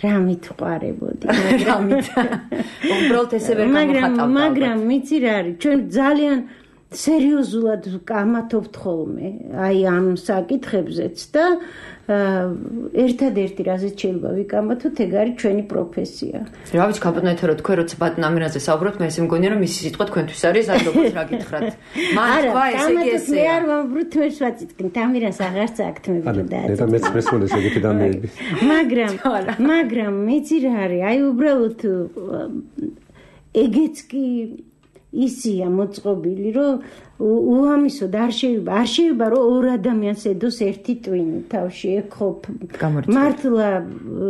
Speaker 3: რამით ყარებოდი,
Speaker 2: რამით. უბრალოდ ესე ვერ გამოხატავდა.
Speaker 3: მაგრამ მიცი რა არის, ჩვენ ძალიან სერიოზულად გამათობთ ხოლმე აი ამ საკითხებზეც და ერთადერთი რაზეც შეიძლება ვიკამათოთ, ეგ არის ჩვენი პროფესია.
Speaker 2: რა ვიცი, ქაპატონო ეთერო, თქვენ როცა ბატონამირაზე საუბრობთ, მე ესე მგონია რომ მისი სიტყვა თქვენთვის არის, აი როგორც რა გითხრათ. მან თქვა ესე იგი ესე.
Speaker 3: მე არ ვამბობთ მე ვაწიდგენ, ამირას აღარც აქ მე ვიდოდა.
Speaker 5: და მეც მესმოდეს ეგეთი დამეები.
Speaker 3: მაგრამ მაგრამ მეცი რა არის, აი უბრალოდ ეგეც კი ისია მოწყობილი, რომ უამისოდ არ შეიძლება, არ შეიძლება რომ ორ ადამიანს ედოს ერთი ტვინი თავში, ეგ ხო მართლა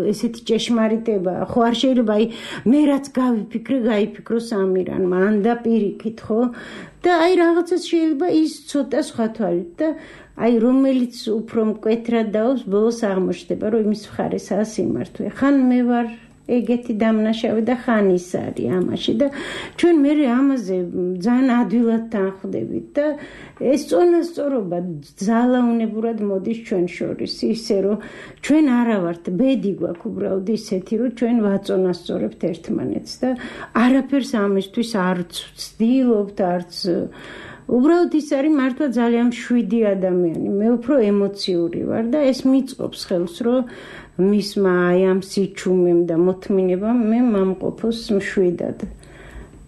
Speaker 3: ესეთი ჭეშმარიტება, ხო არ შეიძლება, აი მე რაც გავიფიქრე, გაიფიქროს ამირანმა, ან და პირიქით, ხო? და აი რაღაცას შეიძლება ის ცოტა სხვა თვალით და აი რომელიც უფრო მკვეთრად დაობს, ბოლოს აღმოჩნდება, რომ იმის მხარესაა სიმართლე. ხან მე ვარ ეგეთი დამნაშავე და ხან ის არის ამაში და ჩვენ მე ამაზე ძალიან ადვილად თანხმდებით და ეს წონასწორობა ძალაუნებურად მოდის ჩვენ შორის, ისე რომ ჩვენ არა ვართ, ბედი გვაქვს უბრალოდ ისეთი, რომ ჩვენ ვაწონასწორებთ ერთმანეთს და არაფერს ამისთვის არც ვცდილობთ, არც უბრალოდ ის არის მართლა ძალიან მშვიდი ადამიანი, მე უფრო ემოციური ვარ და ეს მიწყობს ხელს, რომ მისმა აი ამ სიჩუმემ და მოთმინებამ მე მამყოფოს მშვიდად.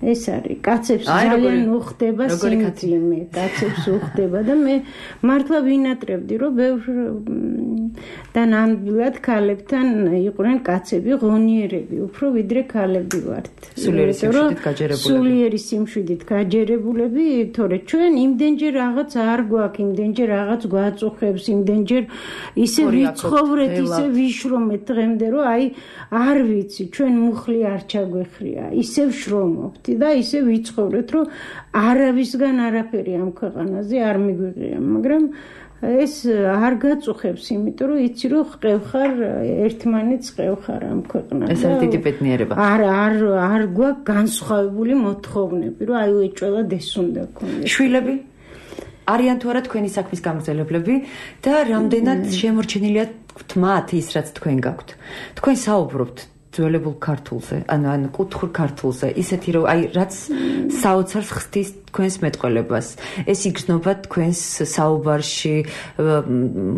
Speaker 3: ეს არის კაცებს ძალიან უხდება სიმძიმე, კაცებს უხდება და მე მართლა ვინატრებდი, რომ ბევრ და ნამდვილად ქალებთან იყვნენ კაცები ღონიერები, უფრო ვიდრე ქალები ვართ.
Speaker 2: სულიერი სიმშვიდით გაჯერებულები.
Speaker 3: სულიერი სიმშვიდით გაჯერებულები, თორე ჩვენ იმდენჯერ რაღაც არ გვაქვს, იმდენჯერ რაღაც გვაწუხებს, იმდენჯერ ისე ვიცხოვრეთ, ისე ვიშრომეთ დღემდე, რომ აი არ ვიცი, ჩვენ მუხლი არ ჩაგვეხრია, ისე ვშრომობთ და ისე ვიცხოვრეთ, რომ არავისგან არაფერი ამ ქვეყანაზე არ მიგვიღია, მაგრამ ეს არ გაწუხებს, იმიტომ რომ იცი რომ ხყევხარ ერთმანეთს ხყევხარ ამ ქვეყნაზე.
Speaker 2: ეს არის დიდი ბედნიერება.
Speaker 3: არ არ არ გვაქვს განსხვავებული მოთხოვნები, რომ აი ეჭველად ეს უნდა გქონდეს.
Speaker 2: შვილები არიან თუ არა თქვენი საქმის გამგზელებლები და რამდენად შემორჩენილია თმათ ის რაც თქვენ გაქვთ. თქვენ საუბრობთ ძველებულ ქართულზე, ანუ ან კუთხურ ქართულზე, ისეთი რომ აი რაც საოცარს ხსნის თქვენს მეტყველებას. ეს იგრძნობა თქვენს საუბარში,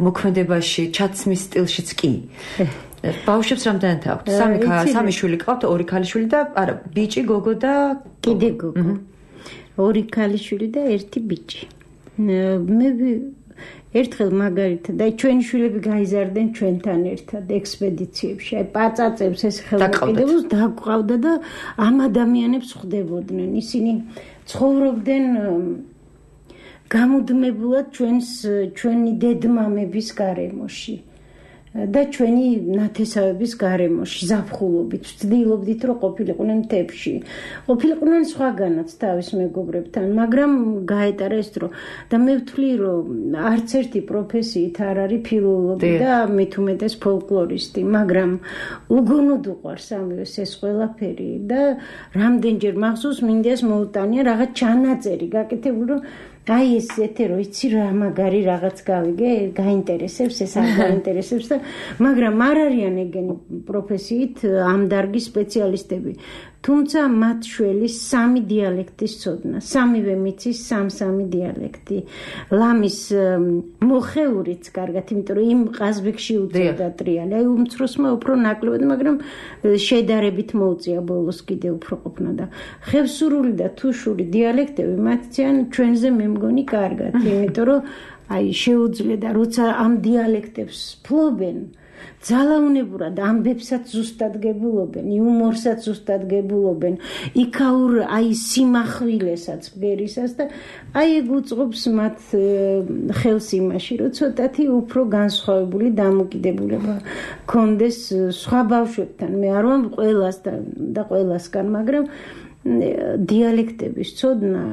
Speaker 2: მოქმედებაში, ჩაცმის სტილშიც კი. ბავშვებს რამდენად აქვთ? სამი სამი შვილი ყავთ, ორი ქალიშვილი და არა, ბიჭი, გოგო და
Speaker 3: კიდე გოგო. ორი ქალიშვილი და ერთი ბიჭი. მე ერთხელ მაგალითად აი ჩვენი შვილები გაიზარდნენ ჩვენთან ერთად ექსპედიციებში, აი პაწაწებს ეს ხელმოკლედებს დაგვყავდა და ამ ადამიანებს ხვდებოდნენ. ისინი ცხოვრობდნენ გამუდმებულად ჩვენს ჩვენი დედმამების გარემოში და ჩვენი ნათესავების გარემოში, ზაფხულობით, ვცდილობდით, რომ ყოფილიყვნენ მთებში. ყოფილიყვნენ სხვაგანაც თავის მეგობრებთან, მაგრამ გაეტარა ეს დრო და მე ვთვლი, რომ არც ერთი პროფესიით არ არის ფილოლოგი და მით უმეტეს ფოლკლორისტი, მაგრამ უგონოდ უყვარს ამის ეს ყველაფერი და რამდენჯერ მახსოვს მინდას მოუტანია რაღაც ჩანაწერი გაკეთებული, რომ აი ეს ეთერო იცი რა მაგარი რაღაც გავიგე, გაინტერესებს, ეს არ გაინტერესებს და მაგრამ არ არიან ეგენი პროფესიით ამ დარგის სპეციალისტები. თუმცა მათ შველის სამი დიალექტის ცოდნა, სამივე მიცის სამ-სამი დიალექტი. ლამის მოხეურიც კარგად, იმიტომ რომ იმ ყაზბეგში უწევდა ტრიალი. აი უმცროსმა უფრო ნაკლებად, მაგრამ შედარებით მოუწია ბოლოს კიდე უფრო ყოფნა და ხევსურული და თუშური დიალექტები მათციან ჩვენზე მე მგონი კარგად, იმიტომ რომ აი შეუძლია და როცა ამ დიალექტებს ფლობენ ძალაუნებურად ამბებსაც ზუსტად გებულობენ, იუმორსაც ზუსტად გებულობენ, იქაურ აი სიმახვილესაც ბგერისას და აი ეგ უწყობს მათ ხელს იმაში, რომ ცოტათი უფრო განსხვავებული დამოკიდებულება კონდეს სხვა ბავშვებთან. მე არ ვამბ ყველას და ყველასგან, მაგრამ დიალექტების ცოდნა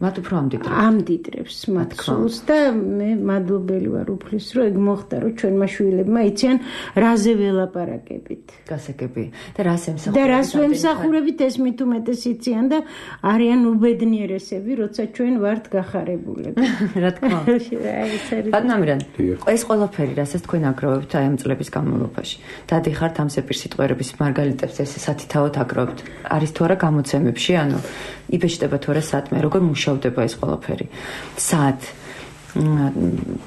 Speaker 2: მათ უფრო ამდიდრებს.
Speaker 3: ამდიდრებს მათ სულს და მე მადლობელი ვარ უფლის, რომ ეგ მოხდა, რომ ჩვენმა შვილებმა იციან რაზე ველაპარაკებით.
Speaker 2: გასაგები და რას ემსახურებით.
Speaker 3: და რას ვემსახურებით ეს მით უმეტეს იციან და არიან უბედნიერესები, როცა ჩვენ ვართ გახარებულები.
Speaker 2: რა თქმა უნდა. ბატონამირან, ეს ყველაფერი, რასაც თქვენ აგროვებთ აი ამ წლების განმავლობაში. დადიხართ ამ სეპირსიტყვიერების მარგალიტებს ეს სათითაოდ აგროვებთ. არის თუ არა გამოცემებში, ანუ იბეჭდება თუ არა სათმე, როგორ მუშავდება ეს ყველაფერი. სად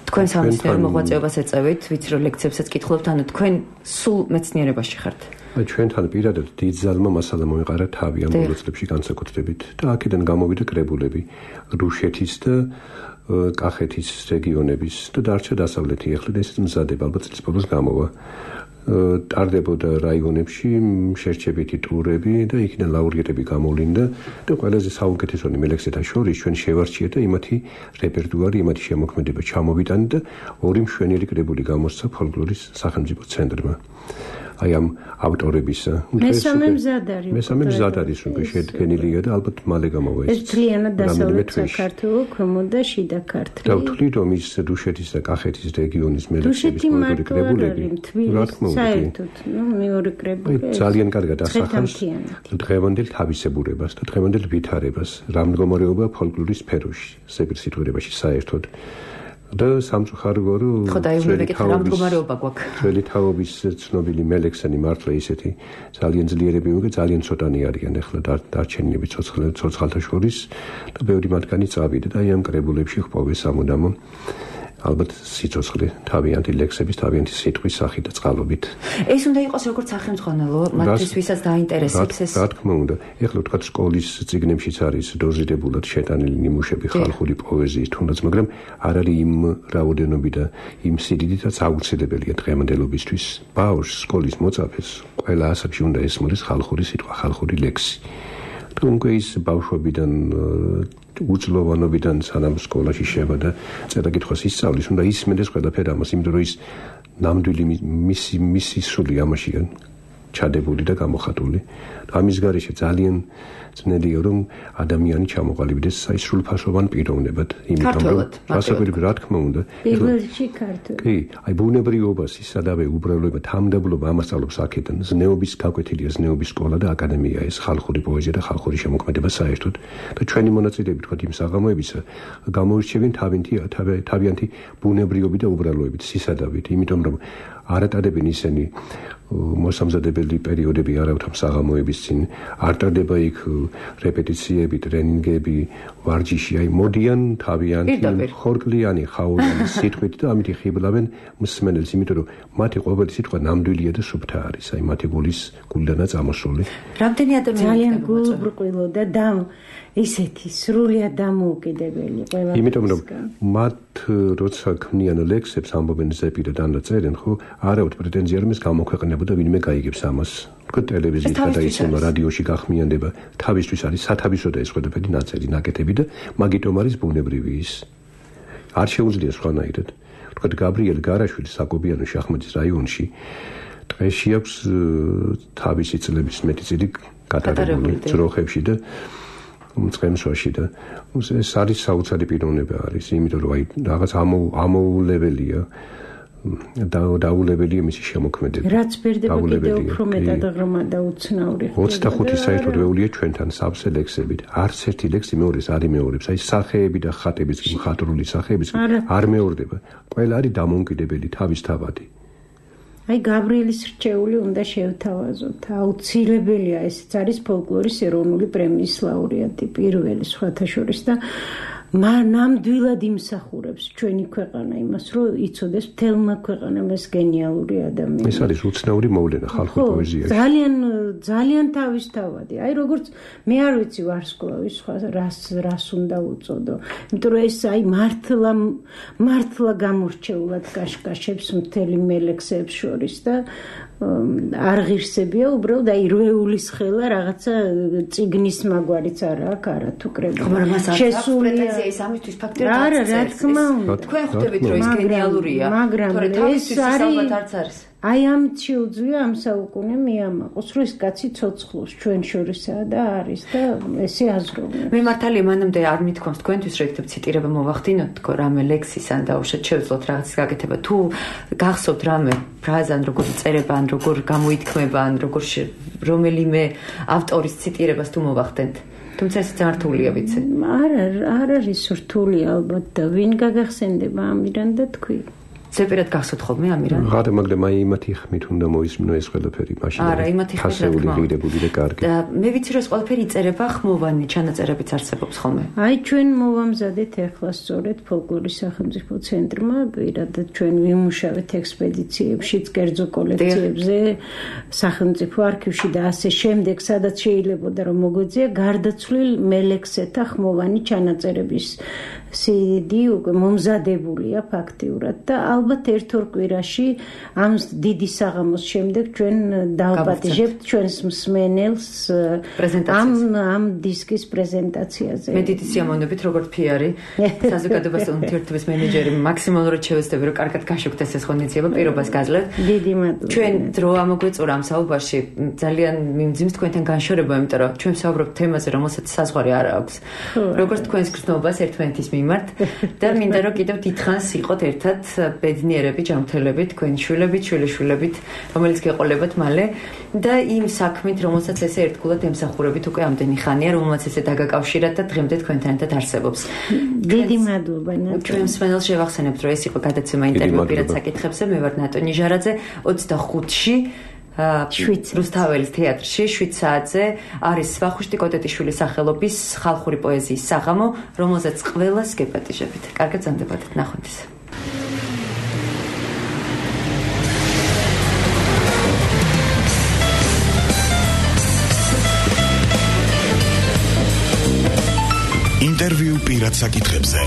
Speaker 2: თქვენ სამეცნიერო მოღვაწეობას ეწევით, ვიცი რომ ლექციებსაც კითხულობთ, ანუ თქვენ სულ მეცნიერებაში ხართ.
Speaker 5: აი ჩვენთან პირადად დიდ ძალმა მასალა მოიყარა თავი ამ ბოლო წლებში განსაკუთრებით და აქედან გამოვიდა კრებულები რუსეთის და კახეთის რეგიონების და დარჩა დასავლეთი. ახლა ესეც მზადება, ალბათ წლის ბოლოს გამოვა. ტარდებოდა რაიონებში შერჩებითი ტურები და იქიდან ლაურიეტები გამოვლინდა და ყველაზე საუკეთესონი მელექსეთა შორის ჩვენ შევარჩიეთ და იმათი რეპერტუარი, იმათი შემოქმედება ჩამოვიტანეთ და ორი მშვენიერი კრებული გამოსცა ფოლკლორის სახელმწიფო ცენტრმა. აი ამ ავტორების
Speaker 3: მესამე მზად არის.
Speaker 5: მესამე მზად არის, უკვე შედგენილია და ალბათ მალე გამოვა ეს.
Speaker 3: ეს ძალიანად დასავლეთ საქართველო, ქვემო და შიდა ქართლი.
Speaker 5: და ვთვლი რომ ის რუსეთის და კახეთის რეგიონის მელექსების პოლიტიკური კრებულები, რა თქმა უნდა,
Speaker 3: საერთოდ, ნუ მეორე კრებული
Speaker 5: ძალიან კარგად ასახავს დღევანდელ თავისებურებას და დღევანდელ ვითარებას, რა მდგომარეობა ფოლკლორის სფეროში, სეპირსიტყვიერებაში საერთოდ. და სამწუხაროა რომ ძველი თაობის ცნობილი მელექსანი მართლა ისეთი ძალიან ძლიერები მოგე ძალიან ცოტანი არიან ახლა დარჩენილები ცოცხალთა შორის და ბევრი მათგანი წავიდა და აი ამ კრებულებში ხვავეს სამუდამო ალბათ სიცოცხლე თავიანთი ლექსების თავიანთი სიტყვის სახით და წყალობით.
Speaker 2: ეს უნდა იყოს როგორც სახელმძღვანელო, მათთვის ვისაც დაინტერესებს ეს.
Speaker 5: რა თქმა უნდა, ეხლა თქვა სკოლის წიგნებშიც არის დოზირებულად შეტანილი ნიმუშები ხალხური პოეზიის თუნდაც, მაგრამ არ არის იმ რაოდენობით და იმ სიდიდითაც აუცილებელია დღევანდელობისთვის. ბავშვს სკოლის მოწაფეს ყველა ასაკში უნდა ესმოდეს ხალხური სიტყვა, ხალხური ლექსი. თუმცა ის ბავშვობიდან უძლოვანობიდან სანამ სკოლაში შევა და წერა-კითხვას ისწავლის, უნდა ისმენდეს ყველაფერი ამას, იმიტომ რომ ის ნამდვილი მისი მისი სული ამაშია ჩადებული და გამოხატული. ამის გარეშე ძალიან ძნელია რომ ადამიანი ჩამოყალიბდეს აი სრულფასოვან პიროვნებად,
Speaker 2: იმიტომ რომ
Speaker 5: გასაკვირები რა თქმა უნდა.
Speaker 3: პირველში ქართული.
Speaker 5: კი, აი ბუნებრივობას ისადავე უბრალოება თამდაბლობა ამასწავლებს აქედან. ზნეობის გაკვეთილია ზნეობის სკოლა და აკადემია ეს ხალხური პოეზია და ხალხური შემოქმედება საერთოდ. და ჩვენი მონაწილეები თქვა იმ საღამოებისა გამოირჩევიან თავიანთი თავიანთი ბუნებრივობით და უბრალოებით, სისადავით, იმიტომ რომ არ ატარებენ ისინი მოსამზადებელი პერიოდები არავთ ამ საღამოების წინ არ ტარდება იქ რეპეტიციები, ტრენინგები, ვარჯიში, აი მოდიან თავიანთი ხორკლიანი ხაულიანი სიტყვით და ამით ხიბლავენ მსმენელს, იმიტომ რომ მათი ყოველი სიტყვა ნამდვილია და სუფთა არის, აი მათი გულის გულდანაც ამოსული.
Speaker 2: რამდენი ადამიანი
Speaker 3: ძალიან გულბრყვილო და და ისეთი სრულიად დამოუკიდებელი ყველა.
Speaker 5: იმიტომ რომ მათ როცა ქმნიან ლექსებს ამბობენ ზეპირად ანაწერენ, ხო, არავთ პრეტენზია რომ ეს გამოქვეყნებოდა ვინმე გაიგებს ამას. თქო ტელევიზიით გადაიცემა, რადიოში გახმიანდება, თავისთვის არის სათავისო და ეს ყველაფერი ნაწერი, ნაკეთები და მაგიტომ არის ბუნებრივი ის. არ შეუძლია სხვანაირად. თქო გაბრიელ გარაშვილი საკობიანოში ახმედის რაიონში დღეში აქვს თავისი წლების მეტი წილი გატარებული ძროხებში და მწყემსვაში და ეს არის საოცარი პიროვნება არის, იმიტომ რომ აი რაღაც ამოულებელია და დაულებელია მისი შემოქმედება.
Speaker 3: რაც ბერდება კიდევ უფრო მეტად ღრმა და უცნაური.
Speaker 5: ოცდახუთი საერთოდ ვეულია ჩვენთან სავსე ლექსებით. არც ერთი ლექსი მეორეს არ იმეორებს. აი სახეები და ხატების მხატვრული სახეების არ მეორდება. ყველა არის დამოუკიდებელი თავისთავადი.
Speaker 3: აი გაბრიელის რჩეული უნდა შევთავაზოთ. აუცილებელია, ესეც არის ფოლკლორის ეროვნული პრემიის ლაურეატი, პირველი სხვათა შორის და ნამდვილად იმსახურებს ჩვენი ქვეყანა იმას, რომ იცოდეს მთელმა ქვეყანამ ეს გენიალური ადამიანი.
Speaker 5: ეს არის უცნაური მოვლენა ხალხურ პოეზიაში.
Speaker 3: ძალიან ძალიან თავისთავადი. აი როგორც მე არ ვიცი ვარსკვლავის სხვა რას რას უნდა უწოდო. იმიტომ რომ ეს აი მართლა მართლა გამორჩეულად კაშკაშებს მთელი მელექსებს შორის და არ ღირსებია უბრალოდ აი რვეულის ხელა რაღაცა წიგნის მაგვარიც არა აქვს, არა თუ კრებული.
Speaker 2: შესულია აი ეს ამისთვის ფაქტია
Speaker 3: არა, რა თქმა უნდა.
Speaker 2: თქვენ ხვდებით რომ ის გენიალურია,
Speaker 3: თორე
Speaker 2: თავისთვის ის ალბათ არც არის.
Speaker 3: აი ამ შეუძლია ამ საუკუნე მიამაყოს, რომ ეს კაცი ცოცხლობს ჩვენ შორისაა და არის და ესე აზროვნე.
Speaker 2: მე მართალი მანამდე არ მithქვამს თქვენთვის რომ იქნებ ციტირება მოვახდინოთ თქო რამე ლექსის ან დაუშვათ შევძლოთ რაღაცის გაკეთება თუ გახსოვთ რამე ფრაზა ან როგორ წერება ან როგორ გამოითქმება ან როგორ რომელიმე ავტორის ციტირებას თუ მოვახდენთ თუმცა ეს ძალიან რთულია ვიცი.
Speaker 3: არა, არ არის რთული ალბათ და ვინ გაგახსენდება ამირან და თქვი.
Speaker 2: ზეპირად გახსოვთ ხოლმე ამირან?
Speaker 5: არა, მაგრამ აი იმათი ხმით უნდა მოისმინო ეს ყველაფერი მაშინ.
Speaker 2: არა, იმათი ხმით რა თქმა უნდა.
Speaker 5: და კარგი.
Speaker 2: და მე ვიცი რომ ეს ყველაფერი იწერება ხმოვანი ჩანაწერებიც არსებობს ხოლმე.
Speaker 3: აი ჩვენ მოვამზადეთ ახლა სწორედ ფოლკლორის სახელმწიფო ცენტრმა, პირადად ჩვენ ვიმუშავეთ ექსპედიციებშიც, კერძო კოლექციებზე, სახელმწიფო არქივში და ასე შემდეგ, სადაც შეიძლებოდა რომ მოგვეძია გარდაცვლილ მელექსეთა ხმოვანი ჩანაწერების სი დი უკვე მომზადებულია ფაქტიურად და ალბათ ერთ-ორ კვირაში ამ დიდი საღამოს შემდეგ ჩვენ დავპატიჟებთ ჩვენს მსმენელს ამ ამ დისკის პრეზენტაციაზე.
Speaker 2: მე დიდი სიამოვნებით როგორც ფიარი საზოგადოებას ურთიერთობის მენეჯერი მაქსიმალურად შევეცდები რომ კარგად გაშუქდეს ეს ღონისძიება პირობას გაძლევთ.
Speaker 3: დიდი მადლობა.
Speaker 2: ჩვენ დრო ამოგვეწურა ამ საუბარში ძალიან მიმძიმს თქვენთან განშორება, იმიტომ რომ ჩვენ ვსაუბრობთ თემაზე, რომელსაც საზღვარი არ აქვს. როგორც თქვენს გრძნობას ერთმანეთის მიმართ და მინდა რომ კიდევ დიდხანს იყოთ ერთად ბედნიერები, ჯანმრთელები, თქვენი შვილებით, შვილიშვილებით, რომელიც გეყოლებათ მალე და იმ საქმით, რომელსაც ესე ერთგულად ემსახურებით უკვე ამდენი ხანია, რომელსაც ესე დაგაკავშირათ და დღემდე თქვენთან ერთად არსებობს.
Speaker 3: დიდი მადლობა ნატო.
Speaker 2: ჩვენ მსმენელს შევახსენებთ, რომ ეს იყო გადაცემა ინტერვიუ პირად საკითხებზე, მე ვარ ნატო ნიჟარაძე, ოცდახუთში რუსთაველის თეატრში შვიდ საათზე არის ვახუშტი კოტეტიშვილის სახელობის ხალხური პოეზიის საღამო, რომელზეც ყველას გეპატიჟებით. კარგად ზამდებოდეთ, ნახვამდის.
Speaker 1: ინტერვიუ პირად საკითხებზე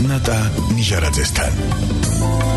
Speaker 1: ნატა ნიჟარაძესთან.